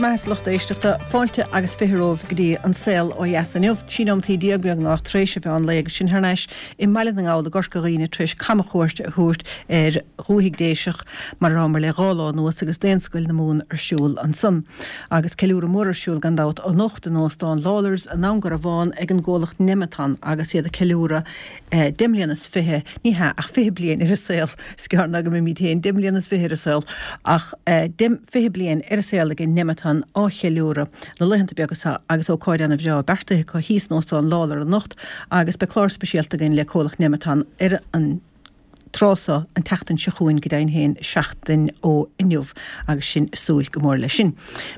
Bhur mbeatha a lucht éisteachta, fáilte agus 20 romhaibh go dtí An Saol Ó Dheas inniu. 13 nóimeataí beagnach tar éis an mheán lae agus sinn thar n-ais i mBaile na nGall i gCorca Dhuibhne tar éis camchuairt a thabhairt ar dhúthaigh Déiseach mar a rabhamar le dhá lá anuas agus Daonscoil na Mumhan ar siúl ansan. Agus ceiliúradh mór ar siúl gan dabht anocht in Óstán Lawlor's i nDún Garbhán ag an gcomhlacht Nemeton agus iad ag ceiliúradh 20 mbliana, ní hea, ach 20 bliain ar an saol, is gearr ná go mbeimid féin 20 mbliana ar an saol, ach 20 bliain ar an saol ag Nemeton á cheiliúradh na laethanta beaga seo agus ócáid ana bhreá beartaithe acu thíos in Óstán Lawlor anocht agus beidh clár speisialta againn le comhlacht Nemeton ar an tráth seo an tseachtain seo chugainn, go deimhin féin seachtain ó inniu agus sinn ag súil go mór leis sin.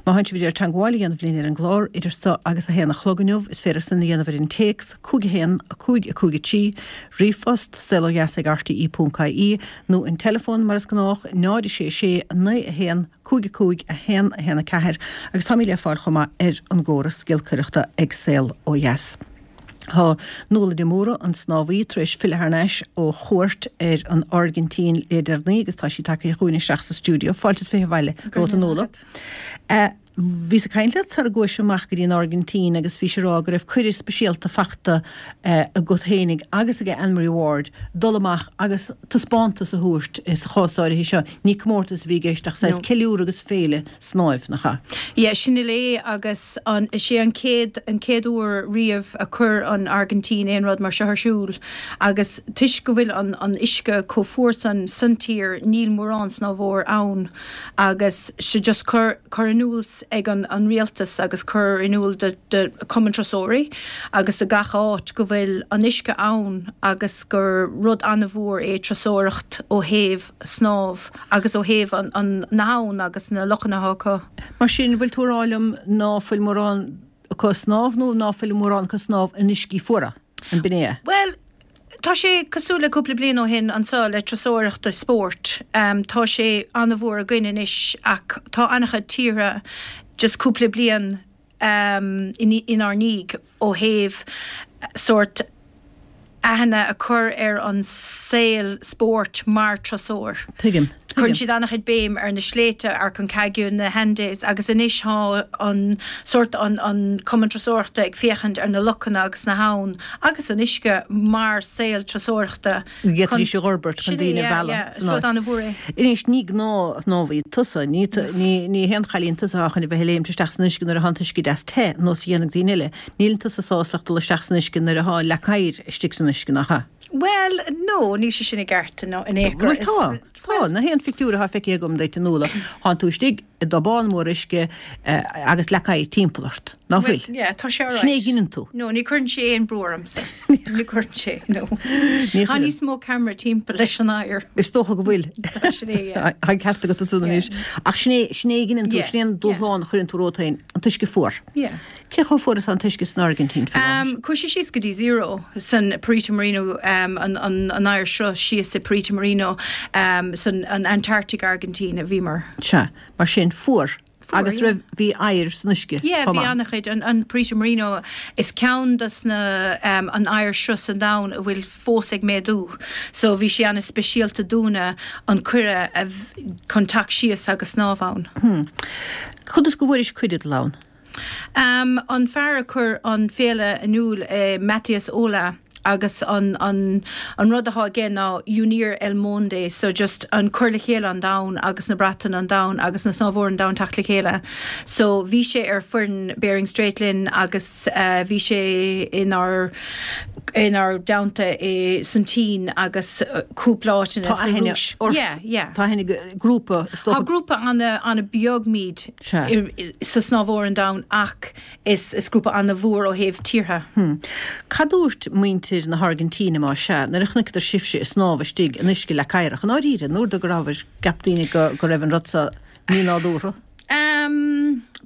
Má tánn sibh ag iarraidh teagmháil a dhéanamh linn ar an gclár idir seo agus a haon a chlog inniu, is féidir sin a dhéanamh ar an téacs, 5 1 5 5 3, ríomhphost, saolodheas ag rte.ie, nó an teileafón mar is gnách, 0 6 6 9 1 5 5 1 1 4, agus táimid le fáil chomh maith ar an gcóras giolcaireachta ag Saol Ó Dheas. Tá Nuala de Mórdha, an snámhaí, tar éis filleadh thar n-ais ó chuairt ar an Airgintín le deireanaí agus tá sí tagtha chugainn isteach sa stiúideo. Fáilte is 20 abhaile romhat a Nuala. Bhíos ag caint leat sara gcuais amach go dtí an Airgintín agus bhís ag rá go raibh cuireadh speisialta fachta agat fhéinig agus ag Anne-Marie Ward dul amach agus taispeántas a thabhairt sa chás áirithe seo. Ní comórtas a bhí i gceist ach saghas ceiliúradh agus féile snáimh, nach ea? Yeah, sin uile é agus an, is é an chéad, an chéad uair riamh a chuir an Airgintín aon rud mar seo ar siúl agus toisc go bhfuil an, an uisce chomh fuar san, san tír níl mórán snámhóir ann agus so just cur, cur in iúl ag an, an rialtas agus cur in iúl do, do Cumann Turasóirí agus do gach áit go bhfuil an uisce ann agus gur rud an-mhór é turasóireacht ó thaobh snámh agus ó thaobh an, na habhann agus na lochanna atá acu. Mar sin, bhfuil tú a rá liom ná fuil mórán acu ag snámh nó ná fuil mórán acu ag snámh in uiscí fuara? An b'in é? Bhuel, tá sé cosúil le cúpla bliain ó shin anseo le turasóireacht is spórt. Tá sé an-mhór againn anois ach tá an-chuid tíortha just cúpla bliain inár ndiaidh ó thaobh sórt aithne a chur ar an saol spóirt mar turasóir. Tuigim. Cuireann siad an-chuid béim ar na sléibhte, Aconcagua, na hAndes agus anois tá an sórt an an Cumann Turasóireachta ag féachaint ar na lochanna agus na habhann agus an uisce mar saol turasóireachta. Go bhféadfaidís a fhorbairt chun daoine a mhealladh san áit. Anois, ní gnáth-shnámhaí tusa, ní ní haon chailín tusa atá chun a bheith ag léimt isteach san uisce nuair atá an t-uisce deas te, ar nós a dhéanfaidh daoine eile. Níleann tusa sásta ach dul isteach san uisce nuair atá leac oighir istigh san uisce, nach ea? Bhuel, no, níl sé sin i gceart in aon chor. Bhuel, tá, tá. Na haon phictiúr atá feicthe agam duit, a Nuala, thánn tú istigh i dtobán mór uisce agus leac oighir timpeall ort, ná fuil? Bhuel, yeah, tá sé alright. Sin é a dheineann tú. No, ní chuireann sé aon brú ormsa. Ní chuireann sé, no. Ní Tá níos mó ceamara timpeall leis an oighear. Is dócha go bhfuil. Tá sin é, yeah. Tá an ceart agat ansan anois. Ach sin é, sin é a dheineann tú, sin é an dúshlán a chuireann tú romhat féin, an t-uisce fuar. Yeah. Cé chomh fuar is atá an t-uisce san Airgintín faoi láthair? Chuaigh sé síos go dtí zero san Perito Moreno, an oighearshruth síos i Perito Moreno san an Antarctic Argentina a bhíomar. Sea, mar sin, fuar. Fuar, Agus yeah. raibh, bhí oighear san uisce Yeah, chomh bhí maith. an-chuid. An, an Perito Moreno, is ceann dos na, an oighearshruth san domhan a bhfuil fós ag méadú. So bhí sé an-speisialta dúinne an cuireadh a, chun teacht síos agus snámh ann. Hmm. Conas go bhfuairis cuireadh dul ann? An fear a chuir an féile in iúl, Matías Ola, agus an an an rud atá aige ná Unir el Monde, so just an cur le chéile an domhan agus na bratanna an domhan agus na snámhóirí an domhan teacht le chéile. So bhí sé ar foireann Bering Strait linn agus bhí sé inár inár dteannta i san tSín agus cúpla áiteanna sa Rúis. Tá aithne ort. Yeah, yeah. Tá aithne ag grúpa, is dócha. Tá grúpa ana ana beag muid. Sa snámhóir an domhan ach is grúpa ana-mhór ó thaobh tíortha. Cad dúirt muintir na hAirgintíne, más ea, nuair a chonaiceadar sibhse ag snámh istigh in uisce leac oighreach? I ndáiríre, an uair dó go rabhabhair, gceap daoine go raibh an rud so mínádúrtha?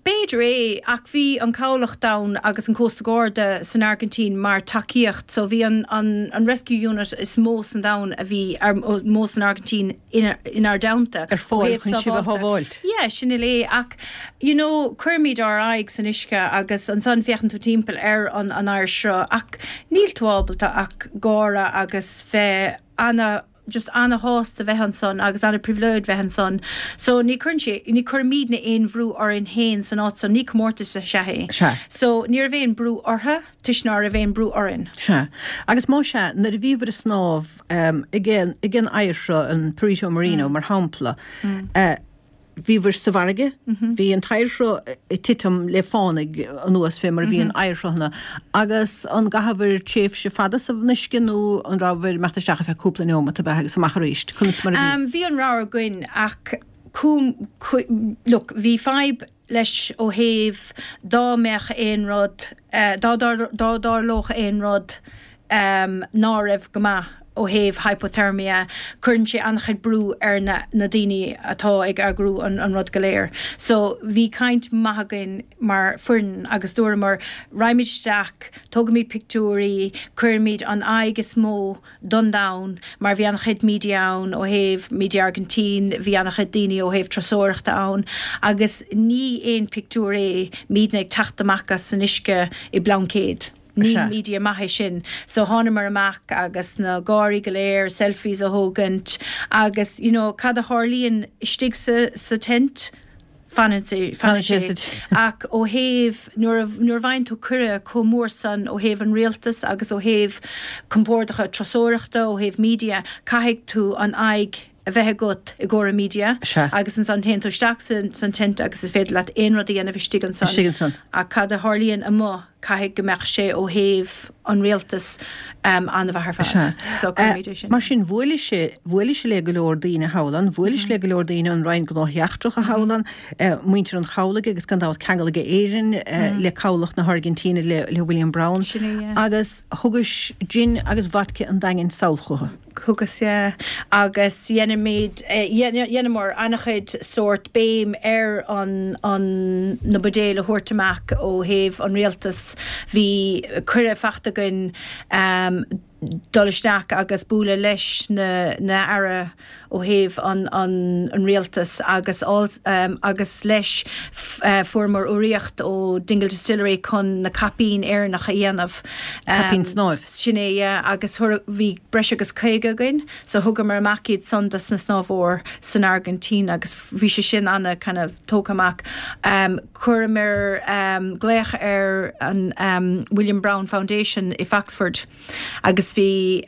B'fhéidir é, ach bhí an cabhlach ann agus an Cósta Garda san Airgintín mar tacaíocht so bhí an an rescue unit is mó san domhan a bhí, mó san Airgintín inár dteannta. Ar fáil chun sibh a shábháilt. Yeah, sin uile é. Ach, you know, cuirimid ár aghaidh san uisce agus ansan féachann tú timpeall ar an an oighearshruth ach níl tú ábalta ach gáire agus bheith ana. just ana-shásta bheith ansan agus ana-pribhléid bheith ansan. So ní cuireann sé, ní cuirimidne aon bhrú orainn féin san áit san, ní comórtas is ea é. Sea. So ní raibh aon brú orthu toisc ná raibh aon brú orainn. Sea. Agus más ea, nuair a bhíobhair ag snámh ag an oighearshruth, an Perito Moreno mar shampla, Bhíobhair sa bhfarraige, bhí an t-oighearshruth ag titim le fánaidh anuas fé mar a bhíonn oighearshruthanna, agus an gcaitheabhair tréimhse fada san uisce nó an rabhabhair ag imeacht isteach ar feadh cúpla neomat ab ea agus amach arís? Conas mar a bhí? Bhí an rogha againn ach look, bhí fadhb leis ó thaobh dá mbeadh aon rud, dá dtarlódh aon rud, ná raibh go maith ó thaobh hypothermia, cuireann sé an-chuid brú ar na na daoine atá ag eagrú an an rud go léir. So bhí caint maith againn mar foireann agus dúramar raghaimid isteach, tógaimid pictiúirí, cuirimid an aghaidh is mó don domhan mar bhí an-chuid media ann ó thaobh media Argentina, bhí an-chuid daoine ó thaobh turasóireachta ann agus ní aon pictiúr é muidne ag teacht amach as an uisce i bplaincéad. Ní media maith é sin. So thánamar amach agus na gáirí go léir, selfies a thógaint agus you know cad a tharlaíonn istigh sa sa tent, fanann sé fanann sé. Ach ó thaobh nuair a nuair a bhfaigheann tú cuireadh chomh mór san ó thaobh an rialtas agus ó thaobh compordacha turasóireachta, ó thaobh media, caithfidh tú an aghaidh a bheith agat i gcomhair an media Sea. agus ansan téann tú isteach san tent agus is féidir leat aon rud a dhéanamh istigh ansan. Istigh ansan. Ach cad a tharlaíonn amuigh, caithfidh go mbeadh sé ó thaobh an rialtas an-mhaith ar fad. Sea. So cuirimid é sin. Mar sin, bhuailis, bhuailis le go leor daoine thall ann, bhuailis le go leor daoine ón Roinn Gnóthaí Eachtracha thall ann, muintir an chabhlaigh agus gan dabht ceangal aige Éirinn le cabhlach na hAirgintíne le le William Browne. Sin é, yeah. Agus thugais gin agus vodka an Daingin sall chucu. Thugas, yeah. Agus dheinimid, dheineamar an-chuid sórt béim ar an, an, na buidéil a thabhairt amach ó thaobh an rialtas. Bhí cuireadh fachta againn dul isteach agus bualadh leis na, na aire ó thaobh an, an, an rialtas agus agus leis fuaireamar urraíocht ó Dingle Distillery chun na caipín Éireannach a dhéanamh. Caipín snáimh. Sin é, yeah, agus bhí breis agus 50 againn, so thugamar amach iad san dos na snámhóir san Airgintín agus bhí sé sin ana kind of tógtha amach. Chuireamar glaoch ar an William Browne Foundation i Foxford agus bhí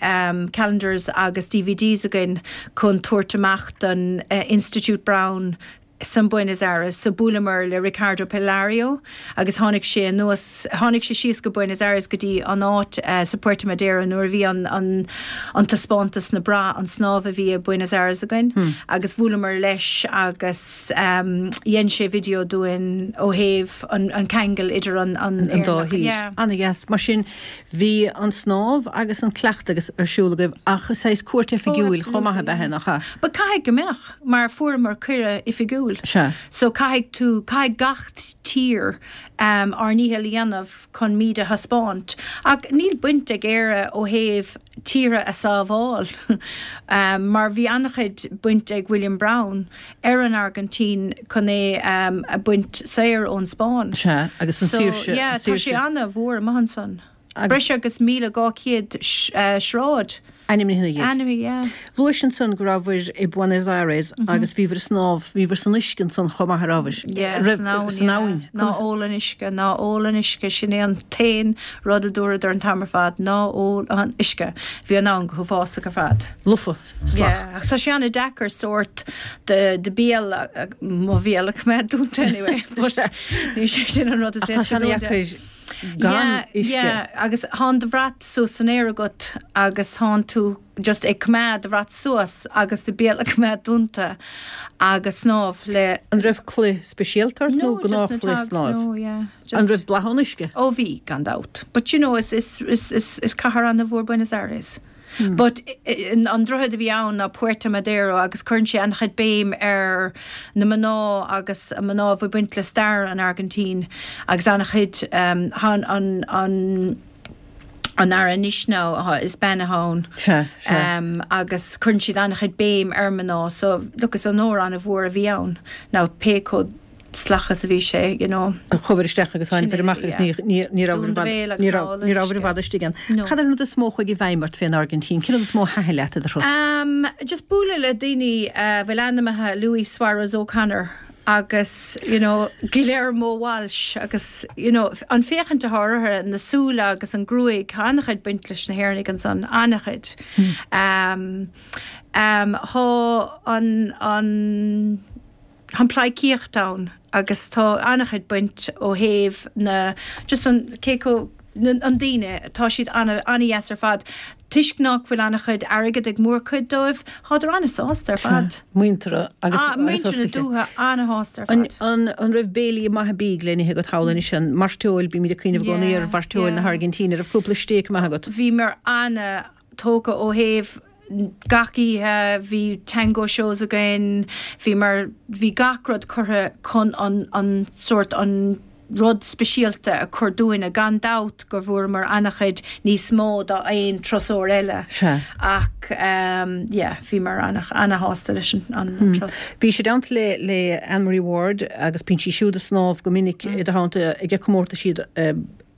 calendars agus DVDs againn chun tabhairt amach don Institute Browne san Buenos Aires so buaileamar le Ricardo Pilario agus tháinig sé anuas, tháinig sé síos go Buenos Aires go dtí an áit sa Puerto Madero nuair a bhí an, an, an taispeántas na bra, an snámh a bhí i Buenos Aires againn agus bhuaileamar leis agus dhein sé video dúinn ó thaobh an, an ceangal idir an, an, an dá thír. Yeah. Ana-dheas. Mar sin bhí an snámh agus an cleachtadh agus ar siúl agaibh ach saghas cuairt oifigiúil chomh maith ab ea nach ea? But caithfidh go mbeadh. Mar fuaireamar cuireadh oifigiúil. Sea. So caithfidh tú, caithfidh gach tír ár ndícheall a dhéanamh chun muid a thaispeáint. Ach níl baint ag Éire ó thaobh tíortha a sábháil mar bhí an-chuid baint ag William Browne ar an Airgintín chun é a bhaint saor ón Spáinn. Sea, agus an saoirse, So yeah, tá sé an-mhór amuigh ansan. Breis agus 1,200 sráid. Ainmnithe ina dhiaidh. Ainmnithe, yeah. Luais ansan go rabhabhair i Buenos Aires agus bhíobhair ag snámh, bhíobhair san uisce ansan chomh maith, a rabhabhair? Yeah, san abhainn, San abhainn. Ná ól an uisce, ná ól an uisce, sin é an t-aon rud a dúradar an t-am ar fad, ná ól an uisce. Bhí an abhainn go huafásach ar fad. Lofa, salach. Yeah, ach tá sé an-deacair sórt do do bhéal, mo bhéal a choimeád dúnta anyway, but ní sé sin an rud is Ach tá éasca sé dúnta. an-deacair gan uisce. Yeah, agus thánn do bhrat suas san aer agat agus thánn tú just ag coimeád do bhrat suas agus do béal a coimeád dúnta agus snámh le. An raibh culaith speisialta ort nó No, just na gnáthchulaith togs, snáimh? no, yeah, An just. raibh boladh an uisce? Ó bhí, gan dabht. But you know, is, is, is, is, is cathair an-mhór Buenos Aires. But an droichead a bhí ann ná Puerto Madero agus cuireann sé an-chuid béim ar na mná agus mná a bhí baint le stair an Airgintín agus an-chuid an an an an aire anois now is bean atá ann. Sea, sea. Agus cuireann siad an-chuid béim ar mná so look is onóir an-mhór a bhí ann now pé chomh. salach is a bhí sé, you know. Chuabhair isteach agus tháinibhir amach agus ní rabhabhair i bhfad istigh ann. Cad é an rud is mó a chuaigh i bhfeidhm ort fén Airgintín? Cén rud is mó a thaitin leat i do thuras? Just bualadh le daoine a bhfuil ainmneacha Luis Suárez O'Connor agus you know Guillermo Walsh agus you know an féachaint atá orthu, na súile agus an gruaig, tá an-chuid baint leis na hÉireannaigh ansan, an-chuid. Tá an, an, Tá an pleidhcíocht ann agus tá an-chuid baint ó thaobh na, just an, cé chomh, an daoine, tá siad an-dheas ar fad. Toisc nach bhfuil an-chuid airgead ag mórchuid dóibh, thádar an-sásta ar fad. Muinteartha agus oscailte. Muintir na dúiche an-shásta ar fad. An raibh béilí maithe bídh le n-ithe agat thall anois? An mairteoil, bímid ag cuimhneamh i gcónaí ar mhairteoil na hAirgintíne, an raibh cúpla stéic maith agat? Bhíomar an-tógtha ó thaobh Gach oíche bhí tango shows againn, bhí mar, bhí gach rud curtha chun an, an sórt, an rud speisialta a chur dúinne. Gan dabht go bhfuaireamar an-chuid níos mó ná aon turasóir eile. Sea. Ach yeah, bhíomar an-shásta leis an, an turas. Bhís i dteannta le, le Anne Marie Ward agus bíonn sí siúd ag snámh go minic i do theannta ag comórtaisí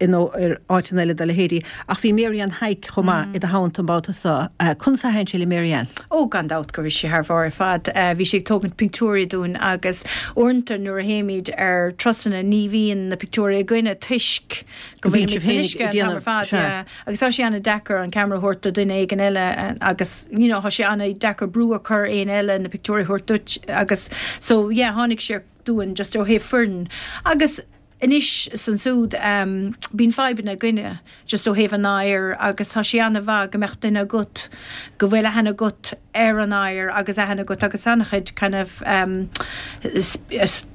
nó ar áiteanna eile dá leithéidí. Ach bhí Mary Ann Hayek chomh maith i do theannta an babhta seo. Conas a thaitin sé le Mary Ann? Ó, gan dabht go raibh sí thar bharr ar fad. Bhí sí ag tógaint pictiúirí dúinn agus uaireanta nuair a théimid ar turasanna ní bhíonn na pictiúirí againne toisc go bhfuilimid san uisce an t-am ar fad. Yeah. Agus tá sé an-deacair an ceamara a thabhairt do dhuine éigin eile agus you know tá sé an-deacair brú a chur ar éinne eile na pictiúirí a thabhairt duit agus so yeah tháinig sé dúinn just ó thaobh foireann agus Anois is ansúd bíonn fadhbanna againne just ó thaobh an oighir agus tá sé an-mhaith go mbeadh duine agat go bhfuil aithne agat ar an oighear agus aithne agat agus an-chuid kind of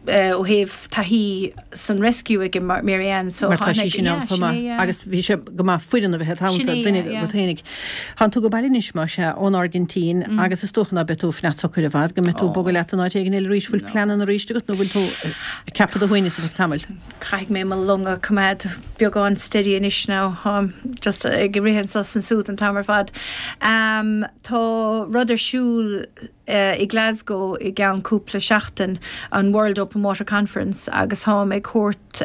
ó thaobh taithí san rescue ag Mary Ann so Mar tá sí sin ann chomh maith agus bhí sé go maith foireann a bheith id theannta, duine agat fhéinig. Tánn tú ag baile anois, más ea, ón Airgintín agus is dócha ná beidh tú ag fanacht socair i bhfad, go mbeidh tú ag bogadh leat in áit éigin eile arís. Bhfuil pleananna arís agat nó bhfuil tú ag ceapadh do shuaimhneas ar feadh tamaill? Caithfidh mé mo long a choimeád beagán steady anois now. Táim just ag rith anso is ansúd an t-am ar fad. Tá rud ar siúl i Glasgow i gceann cúpla seachtain, an World Open Water Conference, agus táim ag thabhairt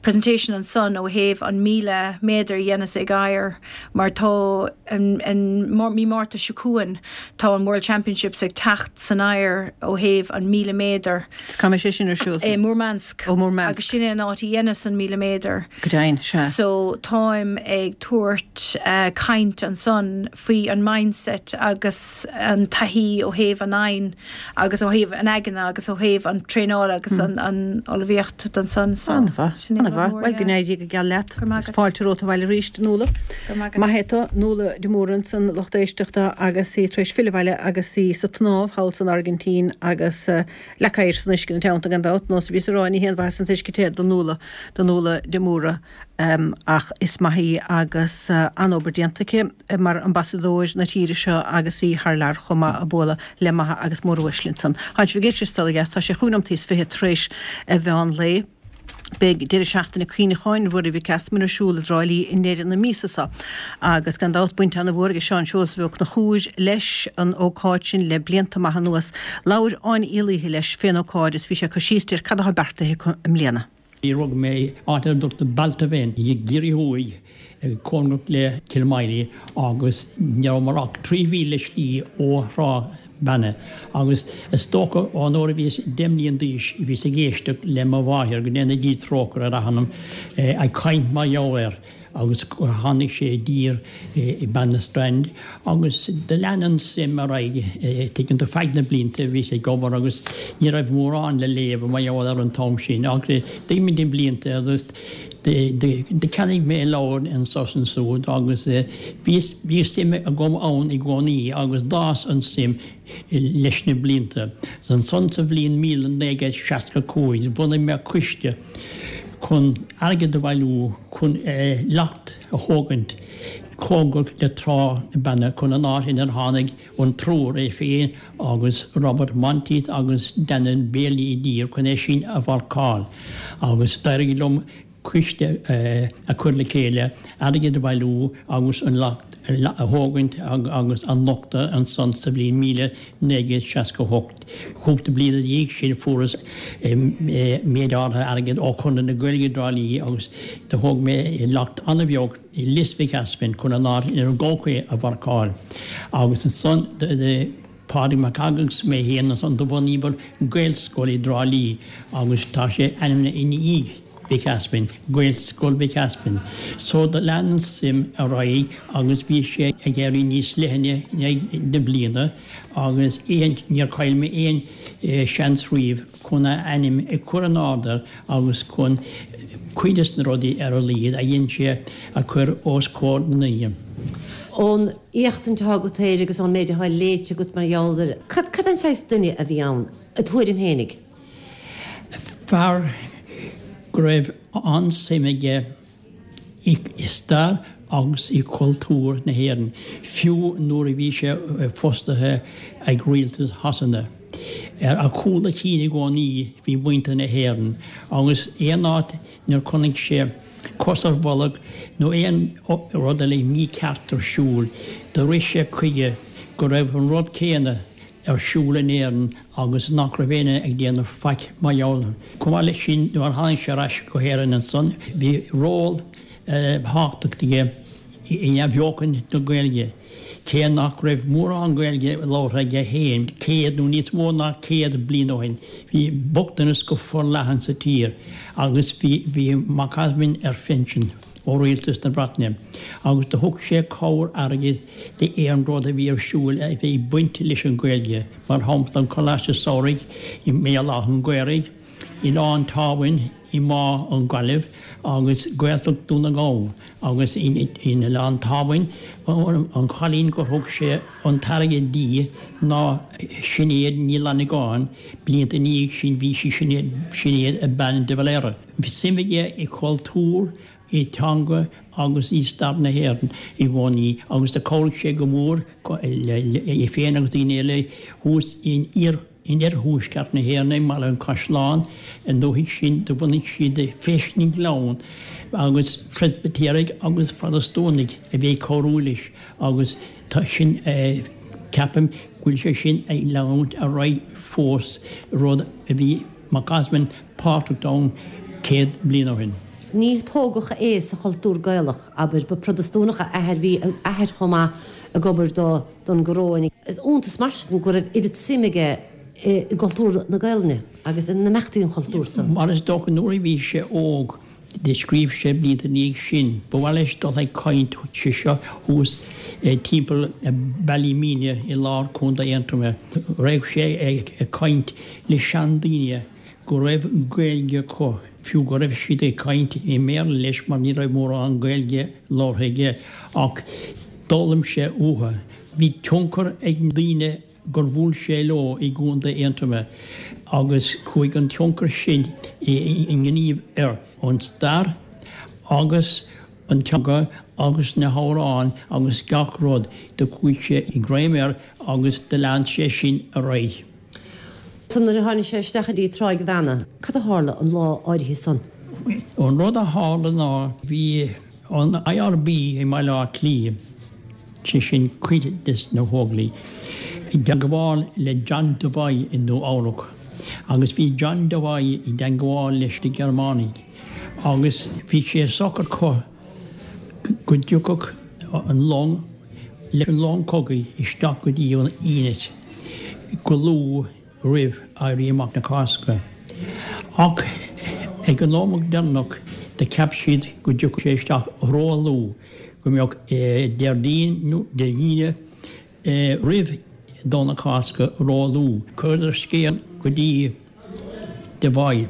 presentation ansan ó thaobh an 1,000 méadar a dhéanas ag oighear mar tá an mí Márta seo chugainn tá an World Championships ag teacht san oighear ó thaobh an 1,000 méadar. Cá mbeidh sé sin ar siúl? I Murmansk. Ó Murmansk. Agus sin é an áit a dheineas an 1,000 méadar. Go deimhin, sea. So táim ag tabhairt caint ansan faoi an mindset agus an taithí ó thaobh an oighinn agus ó thaobh an aigne agus ó thaobh an traenála agus an ullmhaíocht don san. So, An-mhaith, sin é an-mhaith. rud mór, Bhuel, go yeah. n-éirí go geal leat. Go raibh maith agat. Fáilte romhat abhaile arís, Nuala. Go raibh maith agat. Maith é tú, Nuala de Mórdha ansan, lucht éisteachta agus í tar éis filleadh abhaile agus í sa tsnámh thall san Airgintín agus leac oighir san uisce ina teannta gan dabht, nós a bhíos a rá, ní haon mhaitheas an t-uisce te do Nuala, do Nuala de Mórdha. Ach is maith í agus an-obair déanta aici mar ambasadóir na tíre seo agus í thar lear chomh maith ag bualadh le maithe agus móruaisle ansan. Tánn sibh ag éisteacht le Saol Ó Dheas, tá sé chúig nóimeataí is 20 tar éis a mheán lae. Beidh deireadh seachtaine cuimhneacháin Ruairí Mhic Easmainn ar siúl i dTrá Lí i ndeireadh na míosa seo agus gan dabht baint an-mhór ag Seán Seosamh Ó Conchúir leis an ócáid sin le blianta maith anuas. Labhair Áine Uí Laoithe leis fén ócáid is bhí sé ag cur síos di ar cad atá beartaithe acu i mbliana. Rugadh mé áit ar a dtugtar Baltaven i gCiarraí Thuaidh, cóngarach le Cill Moimlí agus ní rabhamar ach 3 mhíle slí ó Thrá Banna agus is dócha ón uair a bhíos 10 mbliain d'aois bhíos ag éisteacht le mo mháthair, go ndéana Dia trócaire ar a hanam, ag caint mar gheall air. agus gur tháinig sé i dtír i Banna Strand agus do lean an suim ar aghaidh, tuigeann tú, feadh na blianta bhíos ag obair agus ní raibh mórán le léamh mar gheall air an t-am sin ach d'imigh na blianta agus do cheannaigh mé leabhair anso is ansúd agus bhí bhí suim agam ann i gcónaí agus d'fhás an suim leis na blianta. Ansan sa bhliain 1965 bhunaigh mé coiste chun airgead a bhailiú chun leacht a thógaint cóngarach le Trá na Banna chun an áit inar tháinig an triúr, é féin agus Robert Monteith agus Daniel Bailey i dtír chun é sin a mharcáil agus d'éirigh liom coiste a chur le chéile, airgead a bhailiú agus an leacht. a thógaint agus a nochtadh ansan sa bhliain 1968. Cúpla bliain ina dhiaidh sin fuaireas méid áirithe airgid ó Chonradh na Gaeilge i dTrá Lí agus do thóg mé leacht an-bheag i Lios Mhic Easmainn chun an áit inar gabhadh é a mharcáil agus ansan Pádraig Mac agus mé féin ansan do bhunaíomar Gaelscoil i dTrá Lí agus tá sé ainmnithe i ndiaidh Mhic Easmainn, Gaelscoil Mhic Easmainn. So do lean an suim ar aghaidh agus bhí sé ag éirí níos leithne i ndiaidh na bliana agus aon, níor chaill mé aon seans riamh chun a ainm a chur in airde agus chun cuid des na rudaí ar a laghad a dhein sé a chur os comhair na ndaoine. Ón éachtaint atá agat air agus ón méid atá léite agat mar gheall air, cad, cad é an saghas duine a bhí ann, i do thuairim fhéinig? Fear go raibh an-suim aige i stair agus i gcultúr na hÉireann, fiú nuair a bhí sé fostaithe ag rialtas Shasana. Ar a chúl a chinn i gcónaí bhí muintir na hÉireann, agus aon áit inar chonaic sé cos ar bholg nó aon rud eile mícheart ar siúl, do rith sé chuige go raibh an rud céanna ar siúl in Éirinn agus nach raibh éinne ag déanamh faic mar gheall air. Chomh maith leis sin, nuair a tháinig sé ar ais go hÉirinn ansan, bhí ról tábhachtach aige in athbheochan na Gaeilge, cé nach raibh mórán Gaeilge labhartha aige féin céad nó níos mó ná 100 bliain ó shin. Bhí bochtanas go forleathan sa tír agus bhí Mac Easmainn ar phinsean. ó Rialtas na Breataine agus do thug sé cabhair airgid d'aon rud a bhí ar siúl a bhí ag baint leis an Ghaeilge, mar shampla an Coláiste Samhraidh i mBéal Átha an Ghaorthaidh, Oileán Támhain i mBá na Gaillimhe agus Gaeltacht Dhún na nGall agus in Oileán Támhain an chailín gur thug sé an t-airgead di ná Sinéad Ní Fhlannagáin, blianta ina dhiaidh sin bhí sí Sinéad Bean de Valera. Bhí suim aige i gcultúr, i dteanga agus i stair na hÉireann i gcónaí agus do chabhraigh sé go mór é féin agus daoine eile thuas in iarthuaisceart na hÉireann i mBaile an Chaisleáin an dúthaigh sin do bhunaigh siad Feis na nGleann agus Preispitéirigh agus Protastúnaigh a bhí ag cabhrú leis agus tá sin ceapaim go bhfuil sé sin ag leanúint ar aghaidh fós rud a bhí Mac Easmainn páirteach ann 100 bliain ó shin. Ní tógadh é sa chultúr Gaelach, abair. Ba Phrotastúnach a athair, bhí a athair chomh maith ag obair do don gcoróin. Is iontas mar sin go raibh oiread suim aige i gcultúr na Gaelainne agus in imeachtaí an chultúir san. Mar is dócha nuair a bhí sé óg Do scríobh sé blianta ina dhiaidh sin, ba mhaith leis dul ag caint, sé seo thuas timpeall Ballymena i lár Contae Aontroma. Raghadh sé ag caint le seandaoine go raibh Gaeilge acu, fiú go raibh siad ag caint i mBéarla leis mar ní raibh mórán Gaeilge labhartha aige, ach d'fhoghlaim sé uathu. Bhí tionchar ag daoine gur bhuail sé leo i gContae Aontroma agus chuaigh an tionchar sin i ngníomh air, an stair agus an teanga agus na hamhráin agus gach rud, do chuaigh sé i ngreim air agus do lean sé sin ar aghaidh. So nuair a tháinig sé isteach go dtí Tráigh Bheanna, cad a tharla an lá áirithe san? An rud a tharla ná bhí an IRB i mBaile Átha Cliath, sé sin cuid des na hÓglaigh, i dteagmháil le John Devoy i Nua Eabhrac agus bhí John Devoy i dteagmháil leis na Gearmánaigh agus bhí sé socair acu go dtiocfadh an long leis an long cogaidh isteach go dtí an Innis go luath roimh Éirí Amach na Cásca. Ach ag an nóiméad deireanach do cheap siad go dtiocfadh sé isteach ró-luath, go mbeadh Déardaoin nó Dé hAoine roimh Domhnach Cásca ró-luath. Chuireadar scéal go dtí Devoy.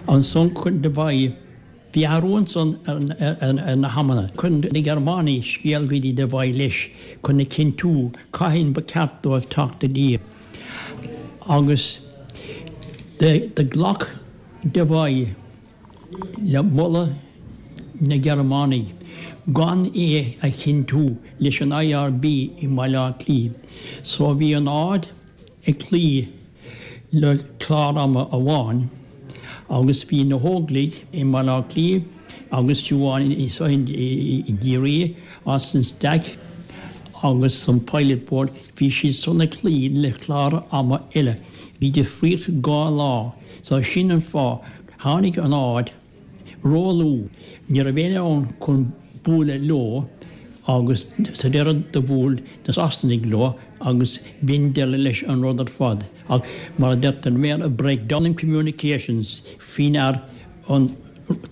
Ansan chuir Devoy. Bhí athrú ansan ar na hamanna. Chuir na Gearmánaigh scéal go dtí Devoy leis chun a chinntiú cathain ba cheart dóibh teacht i dtír. Agus do ghlac Devoy le moladh na Gearmánaigh gan é a chinntiú leis an IRB i mBaile Átha Cliath. So bhí an Aird ag cloí le clár ama amháin agus bhí na hÓglaigh i mBaile Átha Cliath. Agus fiú amháin i gCiarraí, as an Staic agus an Pilot Board, bhí siad san ag cloí le clár ama eile. Bhí difríocht 2 lá. So sin an fáth. Tháinig an áit ró-luath. Ní raibh éinne ann chun bualadh leo agus sa deireadh do bhuail na Sasanaigh leo agus b'in deireadh leis an rud ar fad. Ach mar a deirtear i mBéarla, breakdown in communications faoi ndear an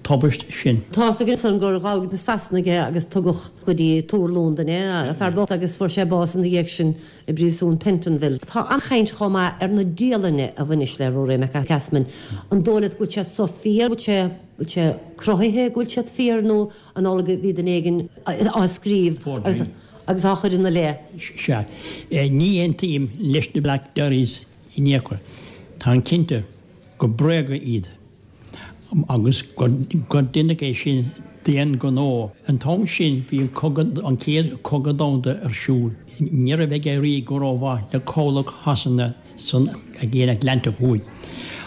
tubaist sin. Tá's againn ansan gur ghabh na Sasanaigh é agus tugadh go dtí Túr Londain é, an fear bocht, agus fuair sé bás ina dhiaidh sin i bpríosún Pentonville. Tá an-chaint chomh maith ar na dialanna a bhaineas le Ruairí Mac Easmainn. An dóigh leat go bhfuil siad so fíor, bhfuil sé, bhfuil sé cruthaithe go bhfuil siad fíor nó an amhlaidh go bhí duine éigin á scríobh agus agus á chur ina leith? Sea. Ní aontaím leis na Black Diaries in aon chor. Táim cinnte gur bréaga iad. agus gur deineadh é sin d'aon ghnó. An t-am sin bhí an cogadh, an Chéad Chogadh Domhanda ar siúl. Ní raibh ag éirí go rómhaith le cabhlach Shasana san Aigéan Atlantach Thuaidh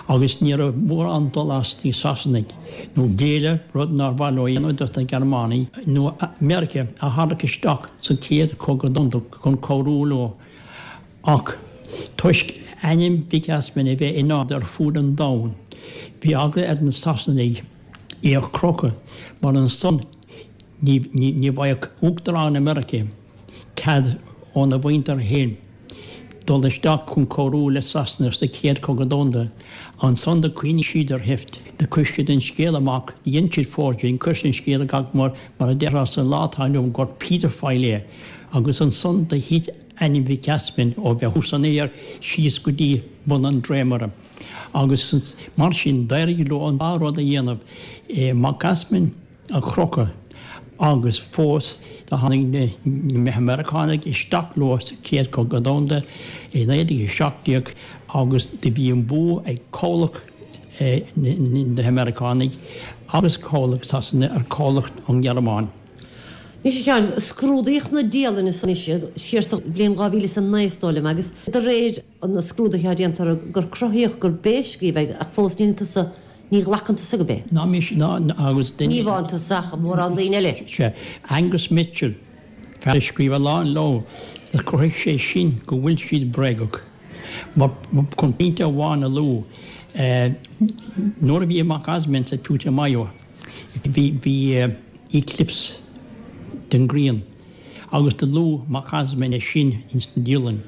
agus ní raibh mórán dul as do na Sasanaigh nó géilleadh, rud nár mhaith leo a dhéanamh, dos na Gearmánaigh nó Meiriceá a tharrac isteach sa Chéad Chogadh Domhanda chun cabhrú leo. Ach toisc ainm Mhic Easmainn a bheith in airde ar fud an domhain, bhí eagla ar na Sasanaigh é a chrochadh, mar ansan ní bhfaigheadh Uachtarán na Meirice cead óna mhuintir féin dul isteach chun cabhrú le Sasana sa Chéad Chogadh Domhanda. Ansan do chuimhnigh siad ar sheift. Do chuir siad an scéal amach, dhein siad forgery, chuir siad an scéal amach mar a déarfá sa lá atá inniu gur paedophile é, agus ansan do thit ainm Mhic Easmainn ó bheith thuas san aer síos go dtí bun an dréimire. Agus mar sin d'éirigh leo an dá rud a dhéanamh, Mac Easmainn a chrochadh agus fós do tháinig na Meiriceánaigh isteach leo sa Chéad Chogadh Domhanda i 1917 agus do bhí an bua ag cabhlach na Meiriceánaigh agus cabhlach Sasana ar chabhlach an Ghearmáin. Anois a Sheáin, scrúdaíodh na dialanna san siar sa bhliain 2009 is dóigh liom agus de réir na scrúduithe atá déanta orthu gur cruthaíodh gur b'é a scríobh é ach fós níl tusa, ní ghlacann tusa gurb é. Ná mise ná agus duine. Ní amháin tusa ach mórán daoine eile. Sea, Angus Mitchell, fear a scríobh a lán leabhar, do chruthaigh sé sin go bhfuil siad bréagach. Mar chun pointe amháin a lua, nuair a bhí Mac Easmainn sa Putumayo, Bhí eclipse den ghrian agus do luadh Mac Easmainn é sin ins na dialann.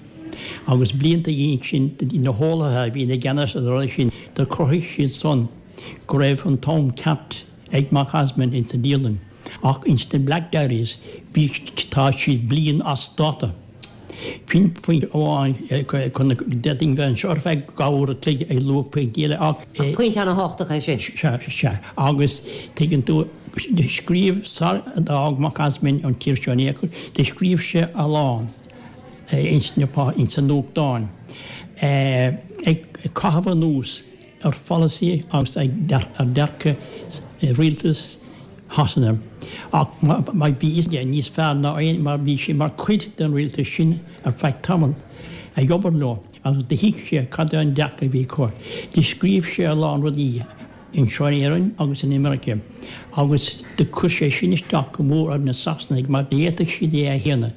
Agus blianta ina dhiaidh sin na heolaithe a bhí ina gceannas ar an rud sin do chruthaigh siad san go raibh an t-am ceart ag Mac Easmainn ins na dialann. Ach ins na Black Diaries bhí tá siad bliain as dáta. Sin pointe amháin chun d'fhéadfainn bheith anseo ar feadh 2 uair a chloig ag lua pointí eile ach. Ach pointe ana-thábhachtach é sin. Sea, sea. Agus tuigeann tú, scríobh, sar a d'fhág Mac Easmainn an tír seo in aon chor, do scríobh sé a lán ins na, ins na nuachtáin ag caitheamh anuas ar pholasaí agus ar dearcadh rialtas Shasana. Ach bhí a fhios aige níos fearr ná éinne mar bhí sé mar chuid den rialtas sin ar feadh tamaill, ag obair leo, agus do thuig sé cad é an dearcadh a bhí acu. Do scríobh sé a lán rudaí anseo in Éirinn agus in America agus do chuir sé sin isteach go mór ar na Sasanaigh mar ní fhéadfadh siad é a shéanadh.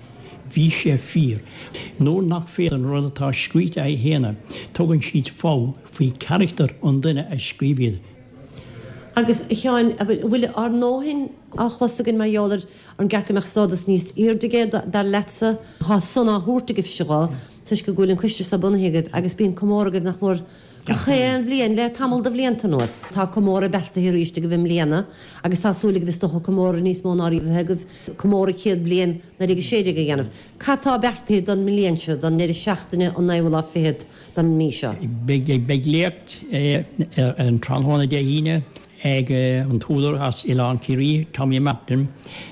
Bhí sé fíor. Nuair nach féidir an rud atá scríte a shéanadh, tugann siad fogha faoi charachtar an duine a scríobh iad. Agus, a Sheáin, an bhfuil ár ndóthain á chlos againn mar gheall ar an gceart go mbeadh stádas níos airde aige, dar leatsa? Tá san á thabhairt agaibhse dhó, toisc go bhfuil an coiste seo bunaithe agaibh agus bíonn comóradh agaibh nach mór gach aon bhliain le tamall de bhlianta anuas. Tá comóradh beartaithe arís agaibh i mbliana agus tá súil agaibh is dócha comóradh níos mó ná riamh a bheith agaibh, comóradh 100 bliain 1916 a dhéanamh. Cad tá beartaithe don mbliain seo, don ndeireadh seachtaine an naoú lá fichead? don mhí seo. Beidh léacht ar an tráthnóna Dé hAoine ag an t-údar as Oileán Ciarraí, Tommy Martin,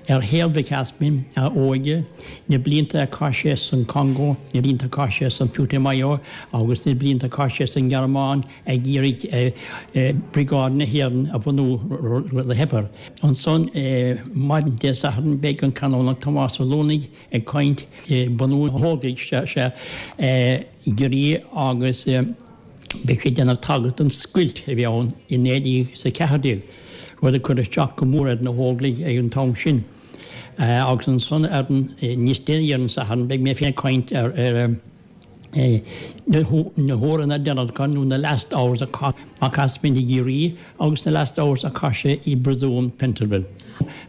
ar shaol Mhic Easmainn, a óige, na blianta a chaith sé san Congo, na blianta a chaith sé san Putumayo agus na blianta a chaith sé san nGearmáin ag iarraidh Briogáid na hÉireann a bhunú, rud a theip air. Ansan maidin Dé Sathairn beidh an Canónach Tomás Ó Luanaigh ag caint, bunú na hÓglaigh sea i gCiarraí agus beidh sé ag déanamh tagairt don scoilt a bhí ann i 1914. Rud a chuir isteach go mór ar na hÓglaigh ag an t-am sin. Agus ansan ar an, níos déanaí ar an Satharn, beidh mé féin ag caint ar na huaireanna deireanacha nó na last hours a chaith Mac Easmainn i gCiarraí agus na last hours a chaith sé i bpríosún Pentonville.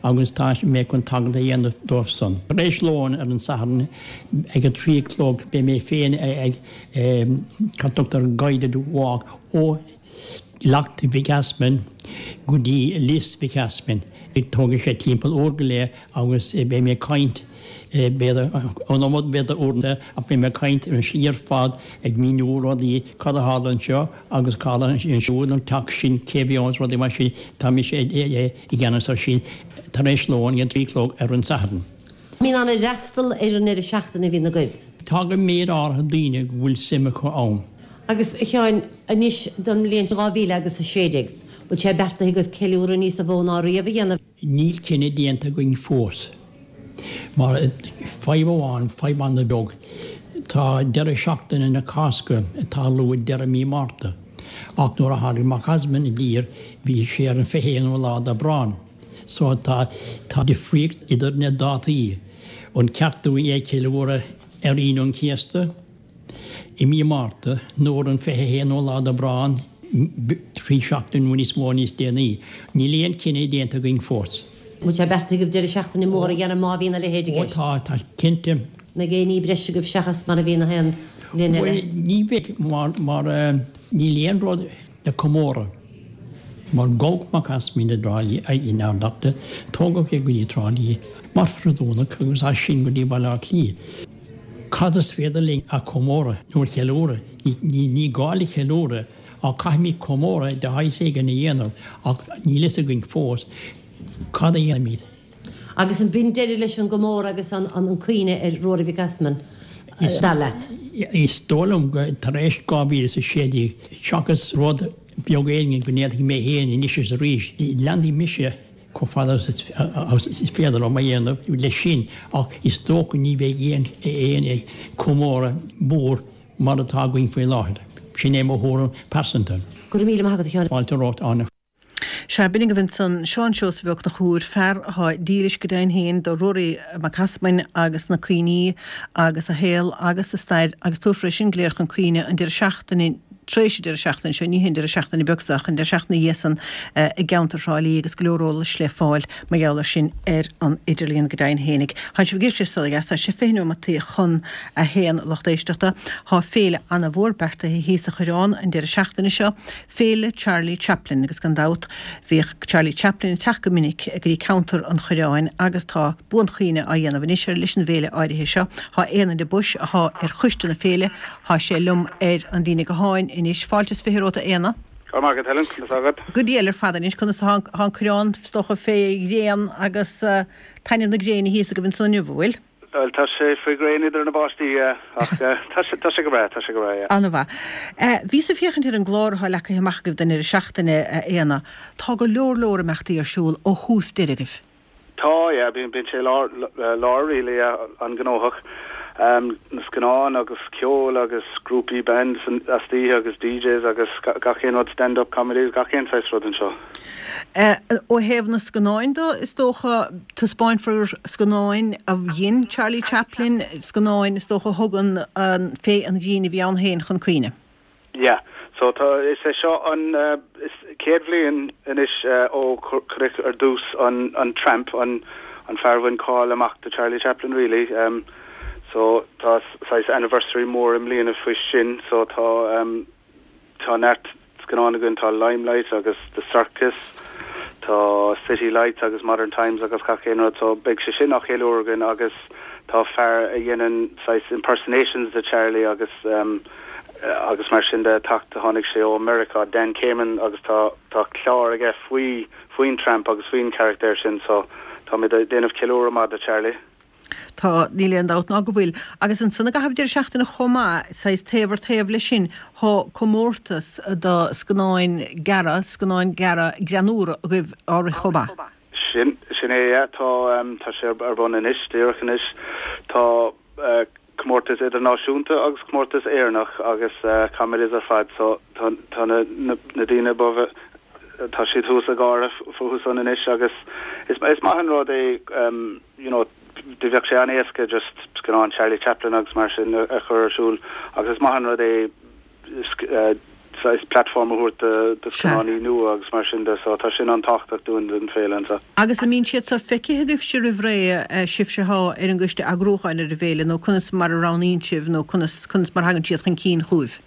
Agus tá mé chun tagairt a dhéanamh dóibh san. Tar éis lóin ar an Satharn ag a 3 a chlog beidh mé féin ag cad tugtar guided walk ó Leacht Mhic Easmainn go dtí Lios Mhic Easmainn. Tógfaidh sé timpeall uair go leith agus beidh mé ag caint, b'fhéidir, an iomad b'fhéidir uaireanta, ach beidh mé ag caint ar an slí ar fad ag míniú rudaí, cad a tharla anseo agus cad a tharla ansiúd, an teach sin, cé a bhí ann is rudaí mar sin. Tá mise i gceannas ar sin tar éis lóin ag a 3 a chlog ar an Satharn. Mbíonn ana fhreastal ar an ndeireadh seachtaine a bhíonn agaibh. Tagann méid áirithe daoine go bhfuil suim acu ann. Agus, a Sheáin, anois don mbliain 2000 agus 16, bhfuil sé beartaithe agaibh ceiliúradh níosa mhó ná riamh a dhéanamh? Níl cinneadh déanta againn fós. Mar fadhb amháin, fadhb an-bheag, tá deireadh seachtaine na Cásca ag tarlú ag deireadh mí Márta, ach nuair a tháinig Mac Easmainn i dtír bhí sé ar an 21ú lá d'Aibreán. So tá tá difríocht idir na dátaí. An ceart dúinn é a cheiliúradh ar Aoine an Chéasta i mí Márta nó ar an 21ú lá d'Aibreán 3 seachtain nó níos mó níos déanaí? Níl aon chinneadh déanta againn fós. Bhfuil sé beartaithe agaibh deireadh seachtaine mór a dhéanamh má bhíonn a leithéid i Ó gceist? tá, tá cinnte. Mbeidh aon ní breise agaibh seachas mar a bhíonn aon bhliain eile? Bhuel, ní bheidh mar mar níl aon rud le comóradh. Mar gabhadh Mac Easmainn i dTrá Lí in Ard Fhearta, tógadh é go dtí Trá Lí mar phriosúnach agus as sin go dtí Baile Átha Cliath. Cad is féidir linn a chomóradh nó a cheiliúradh? Ní gá le ceiliúradh ach caithfimid comóradh de shaghas éigin a dhéanamh ach níl fhios againn fós cad a dhéanfaimid. Agus an b'in deireadh leis an gcomóradh agus an cuimhne ar Ruairí Mhic Easmainn, dar leat? Is dóigh liom go tar éis 2016, seachas rud beag éigin go ndéanfaidh mé féin anois is arís, leanfaidh mise chomh fada agus is féidir liom a dhéanamh leis sin ach is dócha ní bheidh aon chomóradh mór mar atá againn faoi láthair. Sin é mo thuairim pearsanta. Go raibh míle maith agat, a Sheáin. Fáilte romhat, Áine. Sea, b'in agaibh ansan Seán Seosamh Ó Conchúir, fear athá dílis go deimhin féin do Ruairí Mac Easmainn agus na cuimhní agus a shaol agus a stair agus tabharfar é sin go léir chun cuimhne an deireadh seachtaine tar éis an deireadh seachtaine seo, ní hé an deireadh seachtaine beag seo ach an deireadh seachtaine ina dhiaidh san i gceantar Thrá Lí agus go leor eolais le fáil mar gheall air sin ar an idirlíon go deimhin fhéinig. Tá sibh ag éisteacht le Saol Ó Dheas, tá sé 20 neomataí chun a haon lucht éisteachta. Tá féile ana-mhór beartaithe thíos sa Choireán an deireadh seachtaine seo. Féile Charlie Chaplin agus gan dabht bhíodh Charlie Chaplin ag teacht go minic go dtí ceantar an Choireáin agus tá buanchuimhne á dhéanamh anois air leis an bhféile áirithe seo. Tá Éanna de Buis athá ar choiste na féile, thá sé liom ar an líne gutháin anois. Fáilte is 20 romhat a Éanna. Go raibh maith agat Helen, conas tá agat? Go diail ar fad anois, conas atá an Coireán is dócha fé ghréin agus taitneamh na gréine thíos agaibh ansan inniu, an bhfuil? Bhuel, tá sé faoi ghréin idir na báistí, yeah, ach tá sé, tá sé go breá, tá sé go breá, yeah. An-mhaith. Bhíos ag féachaint ar an gclár atá leagtha amach agaibh don ndeireadh seachtaine, a Éanna. Tá go leor leor imeachtaí ar siúl ó thús deireadh agaibh. Tá, yeah, bíonn, bíonn sé lár, lár really, yeah, an-ghnóthach. Na scannáin agus ceol agus grúpaí bands istoíche agus DJs agus gach aon rud, stand up comedies, gach aon saghas rud anseo. Ó thaobh na scannáin de, is dócha, taispeánfar scannáin a dhein Charlie Chaplin, scannáin is dócha a thugann féith an ghrinn a bhí ann féin chun cuimhne. Yeah. So tá, is é seo an is céad bhliain anois ó cuireadh ar dtús an an Tramp, an an fear a bhain cáil amach do Charlie Chaplin really. So tá saghas anniversary mór i mbliana faoi sin so tá Tá neart scannán againn, tá Limelight agus The Circus, tá City Lights agus Modern Times agus gach aon rud so beidh sé sin á cheiliúradh againn agus tá fear a dhéanann saghas impersonations de Charlie agus agus mar sin de ag teacht, tháinig sé ó Meiriceá, Dan Kamen agus tá tá clár aige faoi faoin Tramp agus faoin charachtar sin so táimid ag déanamh ceiliúradh maith de Charlie. Tá, níl aon dabht ná go bhfuil. Agus ansan i gcaitheamh deireadh seachtaine chomh maith, saghas taobh ar taobh leis sin, thá comórtas do scannáin gearra, scannáin gearra greannúra agaibh á rith chomh maith. Sin, sin é, yeah. Tá, tá sé ar bun anois, díreach anois. Tá comórtas idirnáisiúnta agus comórtas Éireannach agus comedies ar fad so tá, tá na, na, na daoine ba. tá siad thuas ag gáire fúthu san anois agus is is maith an rud é you know do bheadh sé an-éasca just scannán Charlie Chaplin agus mar sin a chur ar siúl agus is maith an rud é saghas platform a thabhairt do do scannánaí nua agus mar sin de so tá sin an-tábhachtach dúinn don féile anseo. Agus an mbíonn siad seo feicthe agaibhse roimh ré, sibhse athá ar an gcoiste eagrúcháin ar an bhféile nó conas mar a roghnaíonn sibh nó conas conas mar thagann siad chun cinn chugaibh?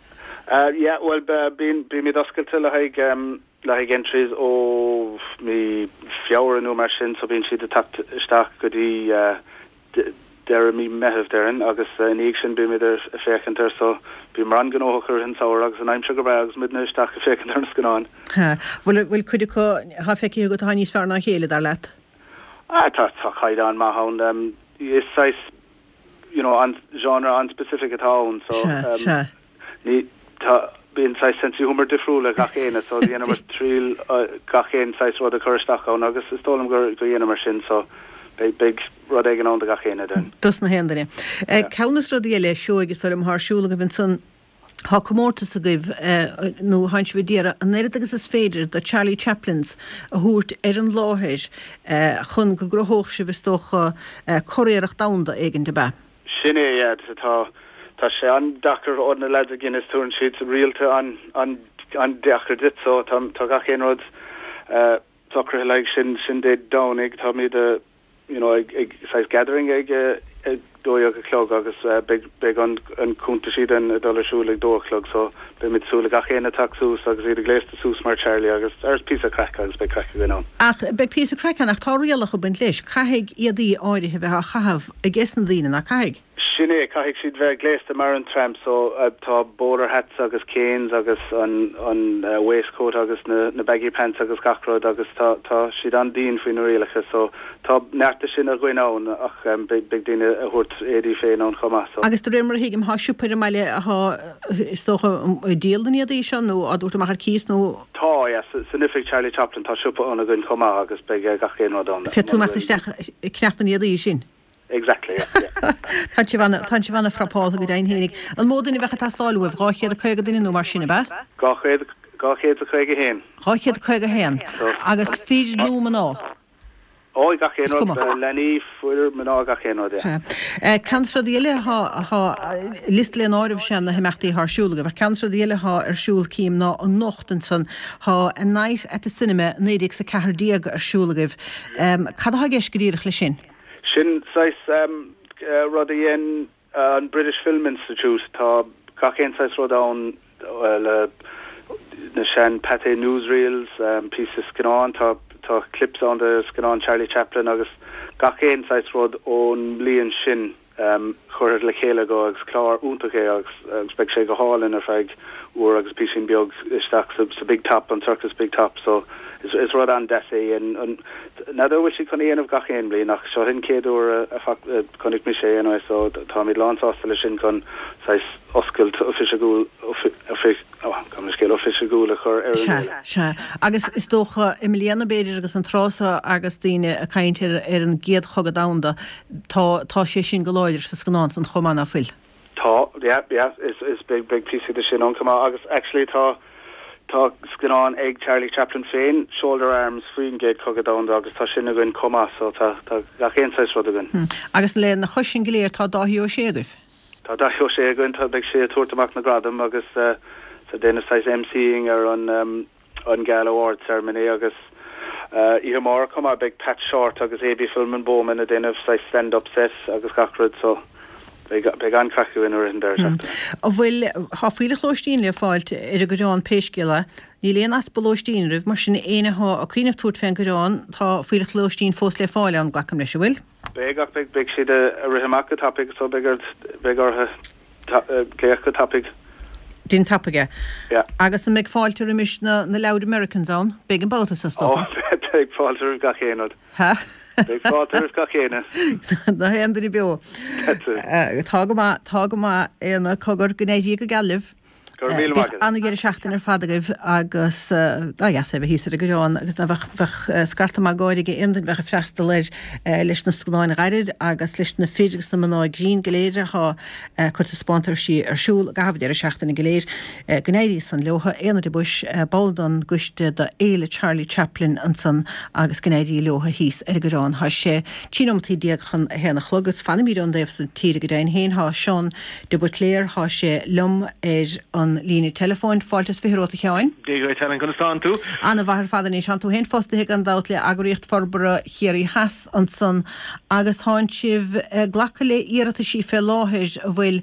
Yeah, bhuel bíonn bímid oscailte le haghaidh le haghaidh entries ó mí Feabhra nó mar sin so bíonn siad ag teacht isteach go dtí deireadh mí Meitheamh déarfainn agus ina dhiaidh sin bímid ag féachaint air so bíomar an-ghnóthach i rith an samhradh agus an aimsir go breá agus muidne isteach ag féachaint ar na scannáin. Bhfuil bhfuil cuid acu atá feicthe agat atá níos fearr ná a chéile, dar leat? Ah tá tá caighdeán maith ann. Is saghas you know an genre an-specific atá ann so um, ní tá bíonn saghas sense of humour difriúil ag gach éinne so dhéanamar triail uh, gach aon saghas rud a chur isteach ann agus is dóigh liom gur gur dhéanamar sin so beidh beidh rud éigin ann do gach éinne den. Dos na haon duine. Eh, ceann des na rudaí eile, Seoighe, is dóigh liom, atá ar siúl agaibh ansan, Tá comórtas agaibh, nó tánn sibh ag iarraidh an oiread agus is féidir de Charlie Chaplins a thabhairt ar an láthair chun go gcruthódh sibh, is dócha, curiarracht domhanda éigin, ab ea? Sin é, yeah. Tá, tá sé an-deacair ó na lads ag Guinness, tabharann siad rialta an-deacair duit, so tá, tá gach aon rud socraithe le haghaidh sin, sin Dé Domhnaigh, táimid a, you know, ag, ag saghas gathering ag 12 a chlog agus beidh, beidh an, an cuntaisí then ag dul ar siúl ag dó a chlog so beimid ag súil le gach éinne teacht suas agus iad gléasta suas mar Charlie agus ar píosa craic agus beidh craic againn ann. Ach beidh píosa craic ann ach tá rialacha ag baint leis, caithfidh éadaí áirithe a bheith á chaitheamh ages na daoine, ná caithfidh? Sin é, caithfidh siad bheith gléasta mar an tramp so tá bowler hats agus canes agus an an waistcoat agus na na baggy pants agus gach rud agus tá tá siad an-dian faoi na rialacha so tá neart de sin againn ann ach beidh beidh daoine a thabhairt éadaí féin ann chomh maith so. Agus de réir mar a thuigim tá siopa ar an mbaile athá is dócha ag díol na n-éadaí seo nó á dtabhairt amach ar cíos nó. Tá, yeah, san oifig Charlie Chaplin tá siopa ann againn chomh maith agus beidh gach aon rud ann. Féadfaidh tú imeacht isteach ag ceannach na n-éadaí sin. Exactly, yeah, yeah. Tá sibh ana, tá sibh ana-phrapáltha go deimhin fhéinig. An mó duine a bheadh ag teastáil uaibh? 250 duine nó mar sin, ab ea? 200, 251. 251. Agus fir nó mná? Ó, gach aon rud, leanaí, fir, mná, gach aon rud, yeah. Ceann de na rudaí eile atá, atá, liosta le n-áireamh is ea na himeachtaí atá ar siúl agaibh, ach ceann de na rudaí eile atá ar siúl, cím, ná anocht ansan, tá A Night at the Cinema 1914 ar siúl agaibh. Cad atá i gceist go díreach leis sin? Sin saghas rud a dhein an British Film Institute. Tá gach aon saghas rud ann le na sean Pathé newsreels, píosa scannán, tá tá clips ann de scannán Charlie Chaplin agus gach aon saghas rud ón mbliain sin. curtha le chéile acu agus clár iontach é agus agus beidh sé go hálainn ar feadh uair agus píosín beag isteach sa sa Big Top, an Circus Big Top so is is rud an-deas é an an n'fheadar an bhfuil siad chun é a dhéanamh gach aon bhliain ach seo an chéad uair a a a chonaic mise é anyway so táimid lán-sásta leis sin chun saghas oscailt oifigiúil oifi Gabh mo leithscéal oifigiúil a chur ar an Sea, sea. Agus is dócha, i mbliana, b'fhéidir, agus an tráth seo agus daoine ag caint ar, ar an gCéad Chogadh Domhanda, tá, tá sé sin go láidir sa scannán san chomh maith, ná fuil? Tá, yeah, yeah, is, is beidh, beidh píosaí de sin ann chomh maith agus actually tá, tá scannán ag Charlie Chaplin féin, Shoulder Arms, faoin gCéad Chogadh Domhanda agus tá sin againn chomh maith so tá, tá gach aon saghas rud againn. Agus lena chois sin go léir tá Dáithí Ó Sé agaibh? Tá Dáithí Ó Sé againn, tá, beidh sé ag tabhairt amach na gradam agus ag déanamh saghas MCing ar an an Gala Award Ceremony agus oíche amárach chomh maith beidh Pat Shortt agus Abie Philmon-Bowman ag déanamh saghas stand up set agus gach rud so beidh beidh an-chraic againn i rith an deireadh seachtaine. An bhfuil, tá fuílleach lóistín le fáilt ar an gCoireán pé scéal é. Níl aon easpa lóistín oraibh, mar sin éinne athá ag cuimhneamh tabhairt fén gCoireán tá fuílleach lóistín fós le fáil ann, glacaim leis, an bhfuil? Beidh, ach beidh, beidh siad ag rith amach go tapaidh so beidh ort, beidh orthu glaoch go tapaidh. Déan tapaidh é. Yeah. Agus an mbeidh fáilte roimis na, na loud Americans ann? Beidh an babhta so, is dócha. Ó, beidh fáilte roimh gach aon rud. Ha? Beidh fáilte roimh gach éinne. Na haon duine beo. That's it. Tá go maith, tá go maith, Éanna, cogar, go n-éirí go geal libh. Go raibh míle maith agat. An-dheireadh seachtaine ar fad agaibh agus dá dheas é a bheith thíos ar an gCoireán agus ná bheadh, bheadh scarta maith gáire ag aon duine a bheadh ag freastal air leis na scannáin ghairid agus leis na fir agus na mná grinn go léir athá ag cur taispeántaisí ar siúl i gcaitheamh an deireadh seachtaine go léir. Go n-éirí san leotha. Éanna de Buis, ball den gcoiste do Fhéile Charlie Chaplin ansan agus go n-éirí leotha thíos ar an gCoireán. Thá sé 13 nóimeataí chun a haon a chlog agus fanfaimid ón dtaobh san tíre go deimhin féin. Thá Seán de Buitléar, thá sé liom ar an líne teileafóin. Fáilte is 20 romhat a Sheáin. Dia dhuit Helen, conas tánn tú? Ana-mhaith ar fad anois. Thánn tú féin fostaithe gan dabht le Eagraíocht Forbartha Chiarraí Theas ansan agus thánn sibh ag glacadh le iarrataisí fé láthair an bhfuil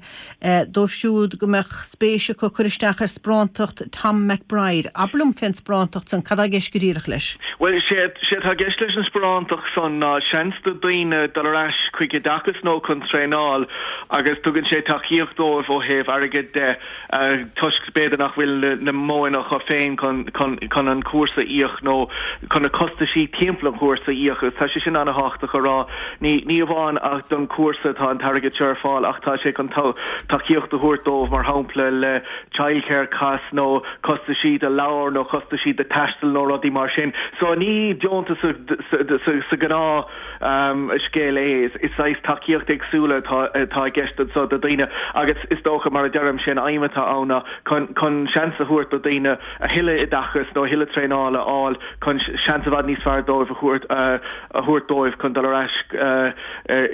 dóibh siúd go mbeadh spéis acu cur isteach ar sparántacht Tom McBride. Abair liom fén sparántacht san, cad tá i gceist go díreach leis? Bhuel, sé atá i gceist leis an sparántacht san ná seans do daoine dul ar ais chuig oideachas nó chun traenáil agus tugann sé tacaíocht dóibh ó thaobh airgid de toisc b'fhéidir nach bhfuil na modhanna acu féin chun an cúrsa a íoc nó chun na costaisí timpeall an chúrsa a íoc agus tá sé sin an-thábhachtach a rá. Ní ní amháin don chúrsa atá an t-airgead seo ar fáil ach tá sé chun tacaíocht a thabhairt dóibh mar shampla le childcare costs nó costaisí do leabhair nó costaisí do taisteal nó rudaí mar sin. So ní deontas sa ghnáth scéal é, is saghas tacaíocht éagsúla atá atá i gceist anseo do daoine agus is dócha mar a deirim sé an aidhm atá ann ná chun chun seans a thabhairt do daoine a thuilleadh oideachais nó a thuilleadh traenála a fháil chun seans i bhfad níos fearr dóibh a thabhairt a thabhairt dóibh chun dul ar ais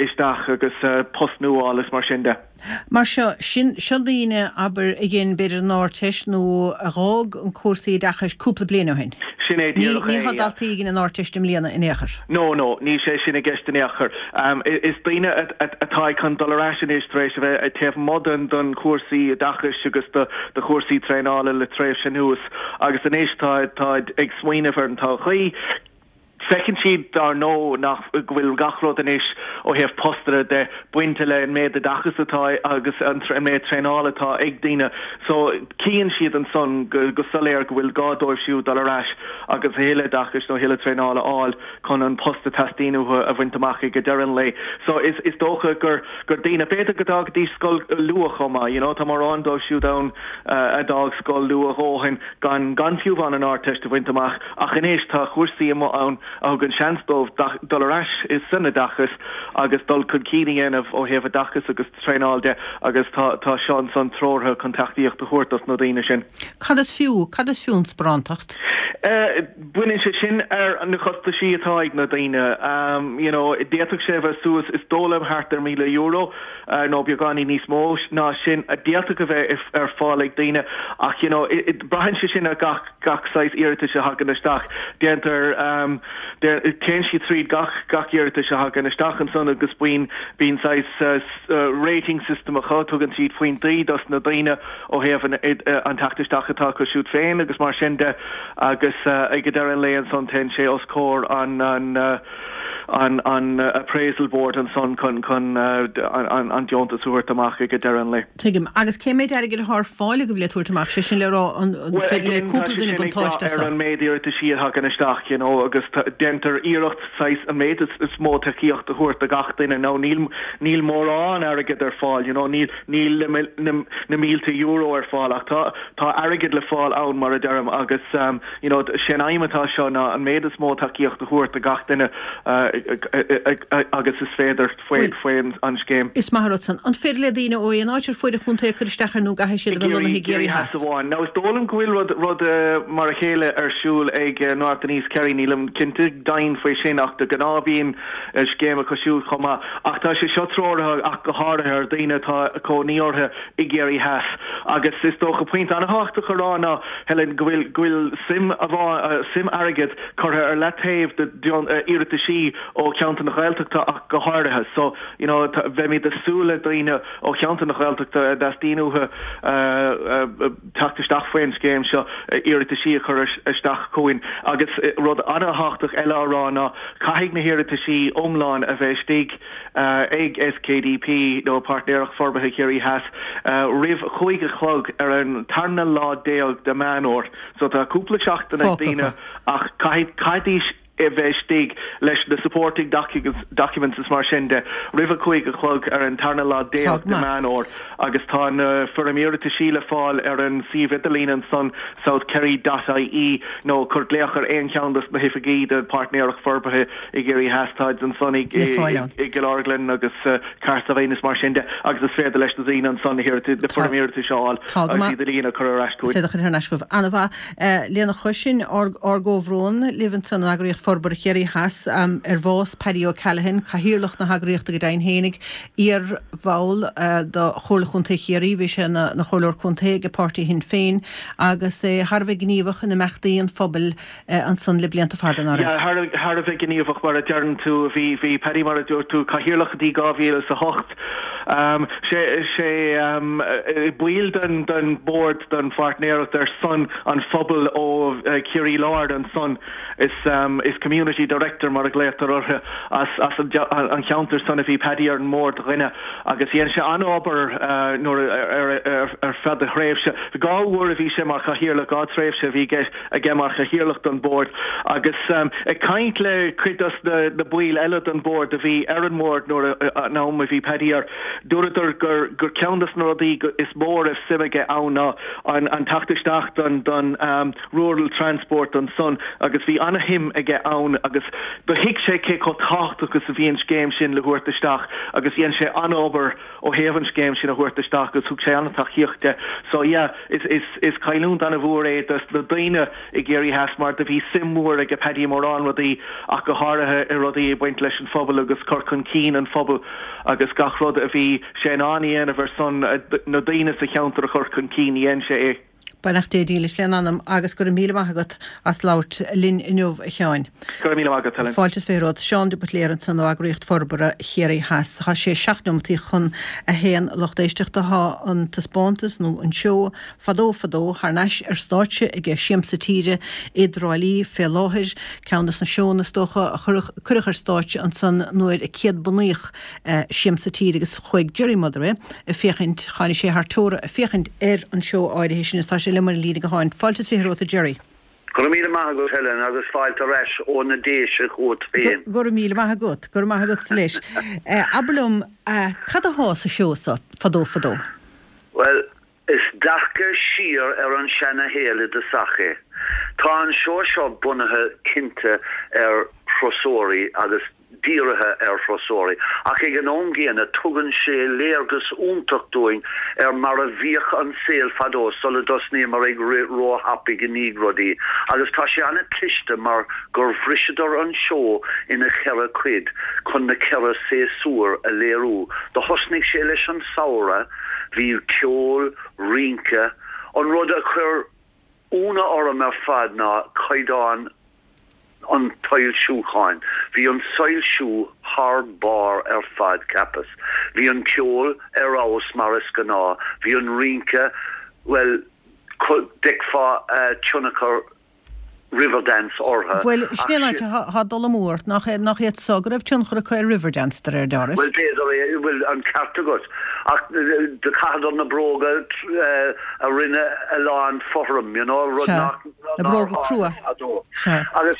isteach agus post nua a fháil is mar sin de. Mar seo, sin, seo daoine, abair, a dhein b'fhéidir an Ardteist nó a dh'fhág an cúrsaí oideachais cúpla bliain ó shin. Sin é díreach é, Ní tá daltaí a dhein an Ardteist i mbliana in aon chor. No, no, níl sé sin i gceist in aon chor. Is daoine atá ag chun dul ar ais anois tar éis a bheith taobh amuigh den den chúrsaí oideachais agus de de chúrsaí traenála le tréimhse anuas agus anois tá táid ag smaoineamh ar an todhchaí. Feiceann siad, dar ndóigh, nach go bhfuil gach rud anois ó thaobh postanna de bainte le an méid oideachais atá agus an méid traenála atá ag daoine. So, chíonn siad ansan go soiléir go bhfuil gá dóibh siúd dul ar ais agus a thuilleadh oideachais nó a thuilleadh traenála a fháil chun an post a teastaíonn uathu a bhaint amach ag deireadh an lae. So, is is dócha gur gur daoine, b'fhéidir go d'fhágaidís scoil luath chomh maith, you know, tá mórán dóibh siúd ann a d'fhág scoil luath a dhóthain gan gan fiú amháin an Ardteist a bhaint amach. Ach anois tá cúrsaí amuigh ann a thugann seans dóibh dul ar ais san oideachas agus dul chun cinn a dhéanamh ó thaobh oideachas agus traenáil de agus tá tá seo ansan treoraithe chun tacaíocht a thabhairt dos na daoine sin. Cad is fiú, cad is fiú an sparántacht? Baineann sé sin ar na costaisí atá ag na daoine. You know, d'fhéadfadh sé a bheith suas, is dóigh liom, thart ar €1,000 nó beagáinín níos mó ná sin a d'fhéadfadh a bheith ar fáil ag daoine ach you know, braitheann sé sin ar gach gach saghas iarratais a thagann isteach. Déantar, téann siad tríd gach, gach iarratais a thagann isteach ansan agus bíonn, bíonn saghas rating system acu, tugann siad pointí dos na daoine ó thaobh an, an teacht isteach atá acu siúd féin agus mar sin de agus ag deireadh an lae ansan téann sé os comhair an, an, an, an appraisal board ansan chun, chun an, an deontas a thabhairt amach ag deireadh an lae. Tuigim. Agus cé méid airgid atá ar fáil agaibh le tabhairt amach? Sé sin le rá, an Bhuel, féidir le again, tá cúpla sé duine sin ag buntáiste brath as ar seo? an méid iarrataisí a thagann isteach, you know, agus déantar iarracht saghas an méid is mó tacaíocht a thabhairt do gach duine. Now, níl, níl mórán airgead ar fáil, you know, níl, níl na, na, na mílte euro ar fáil ach tá, tá airgead le fáil ann, mar a deirim, agus, you know, sé an aidhm atá seo ná an méid is mó tacaíocht a thabhairt do gach duine agus is féidir. Bhuel, faoi an scéim. Is maith an rud san. An féidir le daoine ó aon áit ar fuaid an chontae cur isteach air nó an gcaithfidh siad a bheith lonnaithe i gCiarraí Theas? Theas amháin. Now is dóigh liom go bhfuil rud, rud mar a chéile ar siúl ag North and East Kerry, nílim cinnte deimhin faoi sin ach de ghnáth bíonn scéim acu siúd chomh maith. Ach tá sé seo treoraithe ach go háirithe ar daoine atá cónaí orthu i gCiarraí Theas. Agus is dócha pointe an-thábhachtach a rá ná, Helen, go bhfuil, go bhfuil suim, suim airgid curtha ar leataobh do iarrataisí ó cheantar na Gaeltachta ach go háirithe. So, you know, bheimid ag súil le daoine ó cheantar na Gaeltachta a dteastaíonn uathu teacht isteach faoin scéim seo, iarrataisí a chur isteach chugainn. Agus rud an-thábhachtach eile a rá ná caithfidh na hiarrataisí iomlán a bheith istigh ag SKDP nó Páirtnéireacht Forbartha Chiarraí Theas roimh a chúig a chlog ar an tarna lá déag de Meán Fhómhair. So tá cúpla seachtain ag Fágtha daoine acu. ach caithfidh, caithfidís. a bheith istigh leis na supporting documents is mar sin de roimh a 5 a chlog ar an tarna lá déag de Meán Fhómhair agus tá na foirm iarrataisí le fáil ar an suíomh idirlín ansan southkerry dot ie nó cuir glaoch ar aon cheann dos na hoifigí de Páirtnéireacht Forbartha i gCiarraí Theas táid ansan i gCill Orglan agus Cahersiveen is mar sin de agus is féidir leis na daoine ansan na foirm iarratais a fháil agus iad a líonadh a chur ar ais chugainn. Is iad a chur thar n-ais chugaibh. An-mhaith. Lena chois sin, ár gcomhbhrón libh ansan in Eagraíocht Forbartha Chiarraí Theas ar bhás Paddy O'Callaghan, Cathaoirleach na heagraíochta go deimhin fhéinig, iar-bhall de Chomhairle Chontae Chiarraí, bhí sé ina Chomhairleoir Contae ag páirtí Shinn Féin agus é thar a bheith gníomhach in imeachtaí an phobail ansan le blianta fada, ná raibh? Thar a bheith gníomhach, mar a deireann tú. Bhí, bhí Paddy, mar a dúirt tú, Cathaoirleach go dtí 2008. Sé, sé baill den, den Bhord den Pháirtnéireacht ar son an phobail ó Chiarraí Láir ansan, is, is Community Director mar a ghlaotar orthu, as, as an, an cheantar san a bhí Paddy ar an mbord dhuine agus dhein sé an-obair nuair, ar, ar, ar feadh a thréimhse. 2 uair a bhí sé mar Chathaoirleach, 2 tréimhse a bhí aige. aige mar chathaoirleach don bhord agus ag caint le cuid dos na baill eile den bhord a bhí ar an mbord nuair an am a bhí Paddy air, dúradar gur gur ceann dos na rudaí is mó a raibh suim aige ann ná an an teacht isteach don don rural transport ansan agus bhí ana-shuim aige ann agus do thuig sé cé chomh tábhachtach is a bhí an scéim sin le thabhairt isteach agus dhein sé an-obair ó thaobh an scéim sin a thabhairt isteach agus thug sé an-tacaíocht de. So yeah, is, is, is cailliúint an-mhór é dos na daoine i gCiarraí Theas mar do bhí suim mhór aige Paddy i mórán rudaí ach go háirithe i rudaí ag baint leis an phobal agus cur chun cinn an phobail agus gach rud a bhí sé in ann a dhéanamh ar son na daoine sa cheantar a chur chun cinn, dhein sé é. Beannacht Dé dílis lena anam agus go raibh míle maith agat as labhairt linn inniu, a Sheáin. Go raibh míle maith agat, Helen. Fáilte is 20 romhat. Seán de Buitléar ansan ó Eagraíocht Forbartha Chiarraí Theas. Tá sé 7 neomataí chun a haon, a lucht éisteachta. Tá an taispeántas, nó an seó, Fadó Fadó thar n-ais ar stáitse ag Siamsa Tíre i dTrá Lí fé láthair. Ceann des na seónna, is dócha, a cuireadh ar stáitse ansan nuair a céad-bunaíodh Siamsa Tíre agus chuaigh Gerry Motherway ag féachaint, tháinig sé thar teora ag féachaint ar an seó áirithe sin is tá sé liom ar an líne gutháin. Fáilte is 20 romhat a Gerry. Go raibh míle maith agat Helen agus fáilte ar ais ó na Déise chugat féin. Go raibh míle maith agat. Go raibh maith agatsa leis. Abair liom, cad athá sa seó so, Fadó Fadó? Bhuel, Is dearcadh siar ar an seana-shaol i dtosach é. Tá an seó seo bunaithe cinnte ar thurasóirí agus dírithe ar thurasóirí, ach ag an am gcéanna tugann sé léargas iontach dúinn ar mar a bhíodh an saol fadó sula dtosnaíomar ag rith ró-thapaidh i ndiaidh rudaí agus tá sé an-chliste mar gur bhriseadar an seó ina cheithre cuid chun na ceithre séasúr a léiriú. Do thosnaigh sé leis an samhradh. Bhí ceol, rince. An rud a chuir ionadh orm ar fad ná caighdeán an tsoilsiúcháin. Bhí an soilsiú thar barr ar fad, cheapas. Bhí an ceol ar fheabhas mar is gnáth. Bhí an rince, bhuel, d'fheicfeá tionchar Riverdance orthu. Bhuel, sin é an áit atá dul amú ort, nach iad so go raibh tionchar acu ar Riverdance, de réir dealraimh? Bhuel, b'fhéidir é, bhuel, an ceart agat. Ach do chaitheadar na bróga a rinne a lán fothram, you know, rud nach, na bróga crua. fadó. Sea. Agus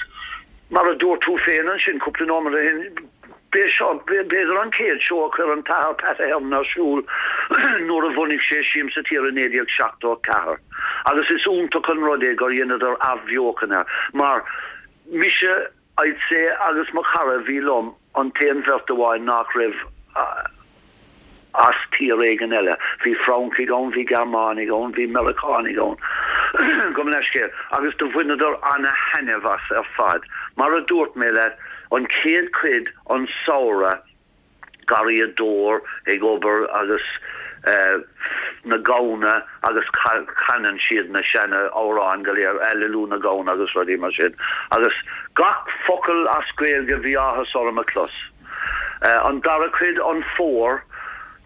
mar a dúirt tú féin ansin cúpla nóiméad ó shin, B'é seo, b'fhéidir, an chéad seó a chuir an tAthair Pat Ahern ar siúl nuair a bhunaigh sé Siamsa Tíre i 1974 agus is iontach an rud é gur dheineadar athbheochan air mar mise, I'd say, agus mo chara a bhí liom an t-aon bheirt amháin nach raibh as tír éigin eile. Bhí Francaigh ann, bhí Gearmánaigh ann, bhí Meiriceánaigh ann, gabh mo leithscéal, agus do bhaineadar ana-thaitneamh as ar fad. Mar a dúirt mé leat, an chéad chuid, an samhradh, garraíodóir ag obair agus na gamhna agus canann siad na seana amhráin go léir, Aililiú na gamhna agus rudaí mar sin. Agus gach focal as Gaeilge bhí áthas orm a chlos. An dara cuid, an fómhar,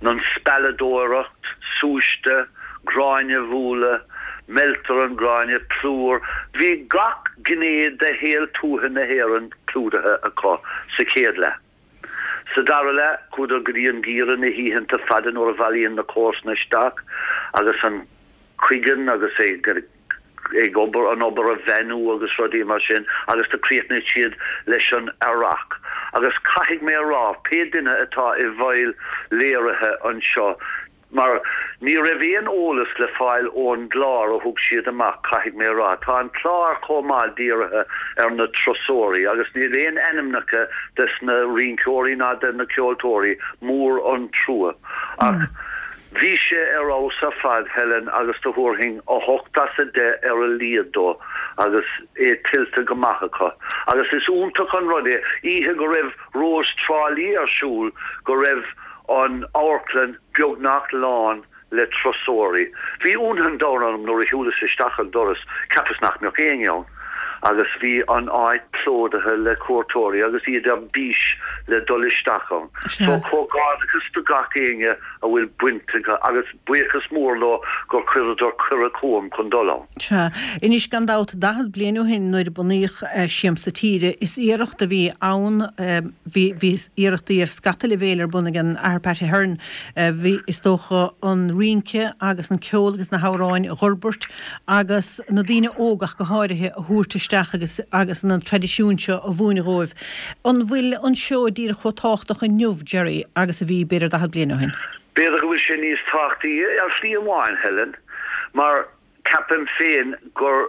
an spealadóireacht, súiste, gráinne a bhualadh, meiltear an ghráinne, plúr, bhí gach gné de shaol tuaithe na hÉireann clúdaithe acu sa chéad leath. Sa dara leath, chuadar go dtí an geimhreadh, na hoícheanta fada nuair a bhailíonn na comharsana isteach agus an cuigeann agus é. ag obair, an obair a bheannú agus rudaí mar sin agus do chríochnaigh siad leis an earrach. Agus caithfidh mé a rá, pé duine atá i bhfeighil léirithe anseo, mar ní raibh aon eolas le fáil ón gclár a thug siad amach, caithfidh mé a rá. Tá an clár chomh maith dírithe ar na turasóirí agus níl aon ainmneacha des na rinceoirí ná de na ceoltóirí, mór an trua. Ach bhí sé ar fheabhas ar fad, Helen, agus do thabharfainn 8 as 10 ar a laghad dó agus é tuillte go maith acu. Agus is iontach an rud é, oíche go raibh Rós Trá Lí ar siúl, go raibh an amharclann beagnach lán le turasóirí. Bhí ionadh an domhain orm nuair a shiúlas isteach an doras, cheapas nach mbeadh éinne ann agus bhí an áit plódaithe le cuairteoirí agus iad ar bís le dul isteach ann. So comhghairdeachas do gach éinne a bhfuil baint acu agus buíochas mór leo gur chuireadar cuireadh chugam chun dul ann. Sea. Anois, gan dabht, 40 bliain ó shin nuair a bunaíodh Siamsa Tíre, is iarracht a bhí ann, bhí, bhí iarrachtaí ar scata leibhéil ar bun ag an Athair Pat Ahern, bhí, is dócha, an rince agus an ceol agus na hamhráin a dh'fhorbairt agus na daoine óga ach go háirithe a thabhairt isteach agus, agus na traidisiúin seo a mhúineadh dhóibh. An bhfuil an seó díreach chomh tábhachtach inniu, Gerry, agus a bhí, b'fhéidir, 40 bliain ó shin? B'fhéidir go bhfuil sé níos tábhachtaí ar shlí amháin, Helen, mar ceapaim féin gur,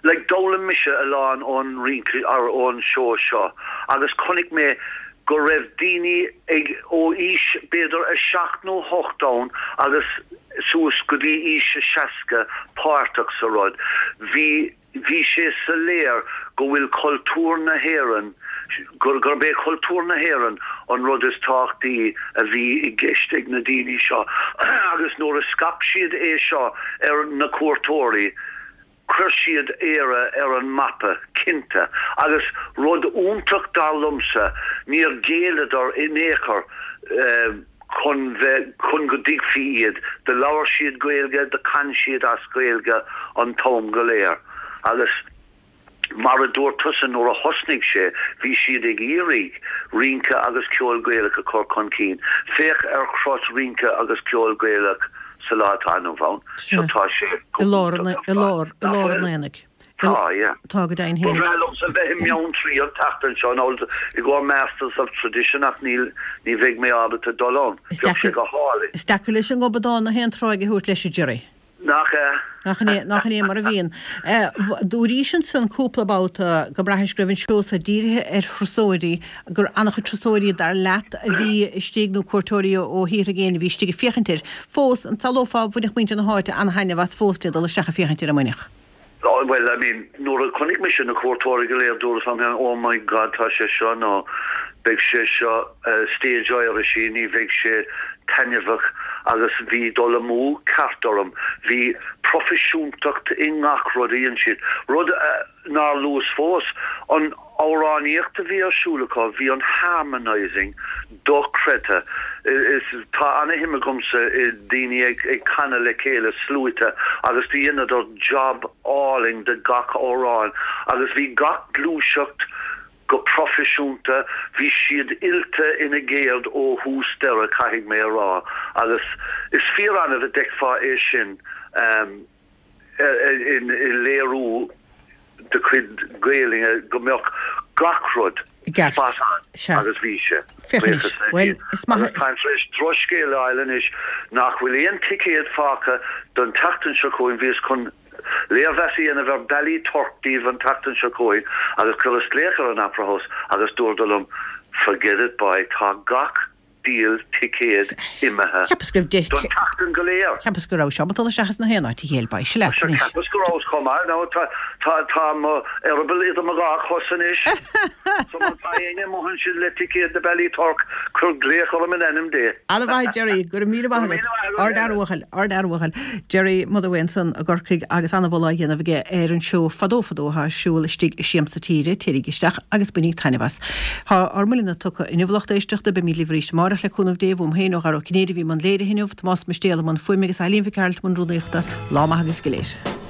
like, d'fhoghlaim mise a lán ón rince, or ón seó seo agus chonaic mé go raibh daoine ag, ó aois b'fhéidir a seacht nó hocht ann agus suas go dtí aois a 60 páirteach sa rud. Bhí. Bhí sé soiléir go bhfuil cultúr na hÉireann, gurb é cultúr na hÉireann an rud is tábhachtaí a bhí i gceist ag na daoine seo agus nuair a scaip siad é seo ar na cuairteoirí, chuir siad Éire ar an mapa, cinnte. Agus rud iontach dar liomsa, níor ghéilleadar in aon chor. chun bheith, chun go dtuigfí iad. Do labhair siad Gaeilge, do chan siad as Gaeilge an t-am go léir. Agus mar a dúirt tusa nuair a thosnaigh sé, bhí siad ag iarraidh rince agus ceol Gaelach a chur chun cinn. Féach ar chrot rince agus ceol Gaelach sa lá atá inniu ann. Seo tá sé go hiontach ar fad. I lár an aonaigh. Tá, yeah. Tá go deimhin Ba bhreá liomsa bheith i mBeanntraí an tseachtain seo, nó i gcomhair Masters of Tradition ach níl, ní bheidh mé ábalta dul ann. Bheadh sé go hálainn. Is deacair leis an ngobadán na haon tráigh a thabhairt leis, a Gerry. Nach ea? Nach in é, nach in é mar a bhíonn. Dúraís ansan cúpla babhta go mbraithis go raibh an seó so dírithe ar thurasóirí, gur an-chuid turasóirí dar leat a bhí istigh nó cuairteoirí ó thíortha i gcéin a bhí istigh ag féachaint air. Fós, an samhlófá bhainfeadh muintir na háite an-thaitneamh as fós le dul isteach ag féachaint air an mbainfeadh? Oh, well, I mean, nuair a chonaic mise na cuairteoirí go léir, dúras liom féin, oh my God, tá sé seo, nó beidh sé seo stage Irish-y, ní bheidh sé taitneamhach agus bhí dul amú ceart orm. Bhí proifisiúntacht i ngach rud a dhein siad. Rud nár luas fós, an amhránaíocht a bhí ar siúl acu, bhí an harmonising dochreidte. Is tá ana-shuim agamsa i daoine ag ag canadh le chéile, sluaite, agus do dheineadar job álainn de gach amhrán agus bhí gach gluaiseacht go proifisiúnta, bhí siad oilte ina gceird ó thús deireadh, caithfidh mé a rá, agus is fíor-annamh a d'fheicfeá é sin. i léiriú de chuid Gaelainne go mbeadh gach rud spot on agus bhí sé. Buíochas le Dia. Agus táim tar éis drochscéal a fháil anois nach bhfuil aon ticéad fágtha don tseachtain seo chugainn. Bhíos chun léirmheas a dhéanamh ar Ballyturk daoibh an tseachtain seo chugainn agus chuireas glaoch ar an Opera House agus dúradar liom forget it boy, tá gach diabhal ticéad imithe Cheapas go raibh deich. don tseachtain go léir. Cheapas go rabhais ábalta dul isteach as na haon áit a chéile, ba ise leat anois. Cheapas go rabhas chomh maith. Now tá, tá, tá mo eireaball idir mo dhá chos anois. So má tá éinne amuigh ansin le ticéad do Ballyturk, cuir glaoch orm in ainm Dé. Ana-mhaith, Gerry. Go raibh míle maith agat. Ard-fhear uathúil, ard-fhear uathúil. Gerry Motherway ansan i gCorcaigh agus ana-mholadh á dhéanamh aige ar an seó Fadó Fadó atá ar siúl istigh i Siamsa Tíre. Téirígí isteach agus bainíg taitneamh as. Tá ár mbuille tugtha inniu, a lucht éisteachta. Beimid libh arís amárach le cúnamh Dé. Uaim féin, ó Dhara Ó Cinnéide a bhí i mbun léirithe inniu, Tomás Mistéal i mbun fuaime agus Eileen Mhic Gearailt i mbun rúnaíochta. Lá maith agaibh go léir.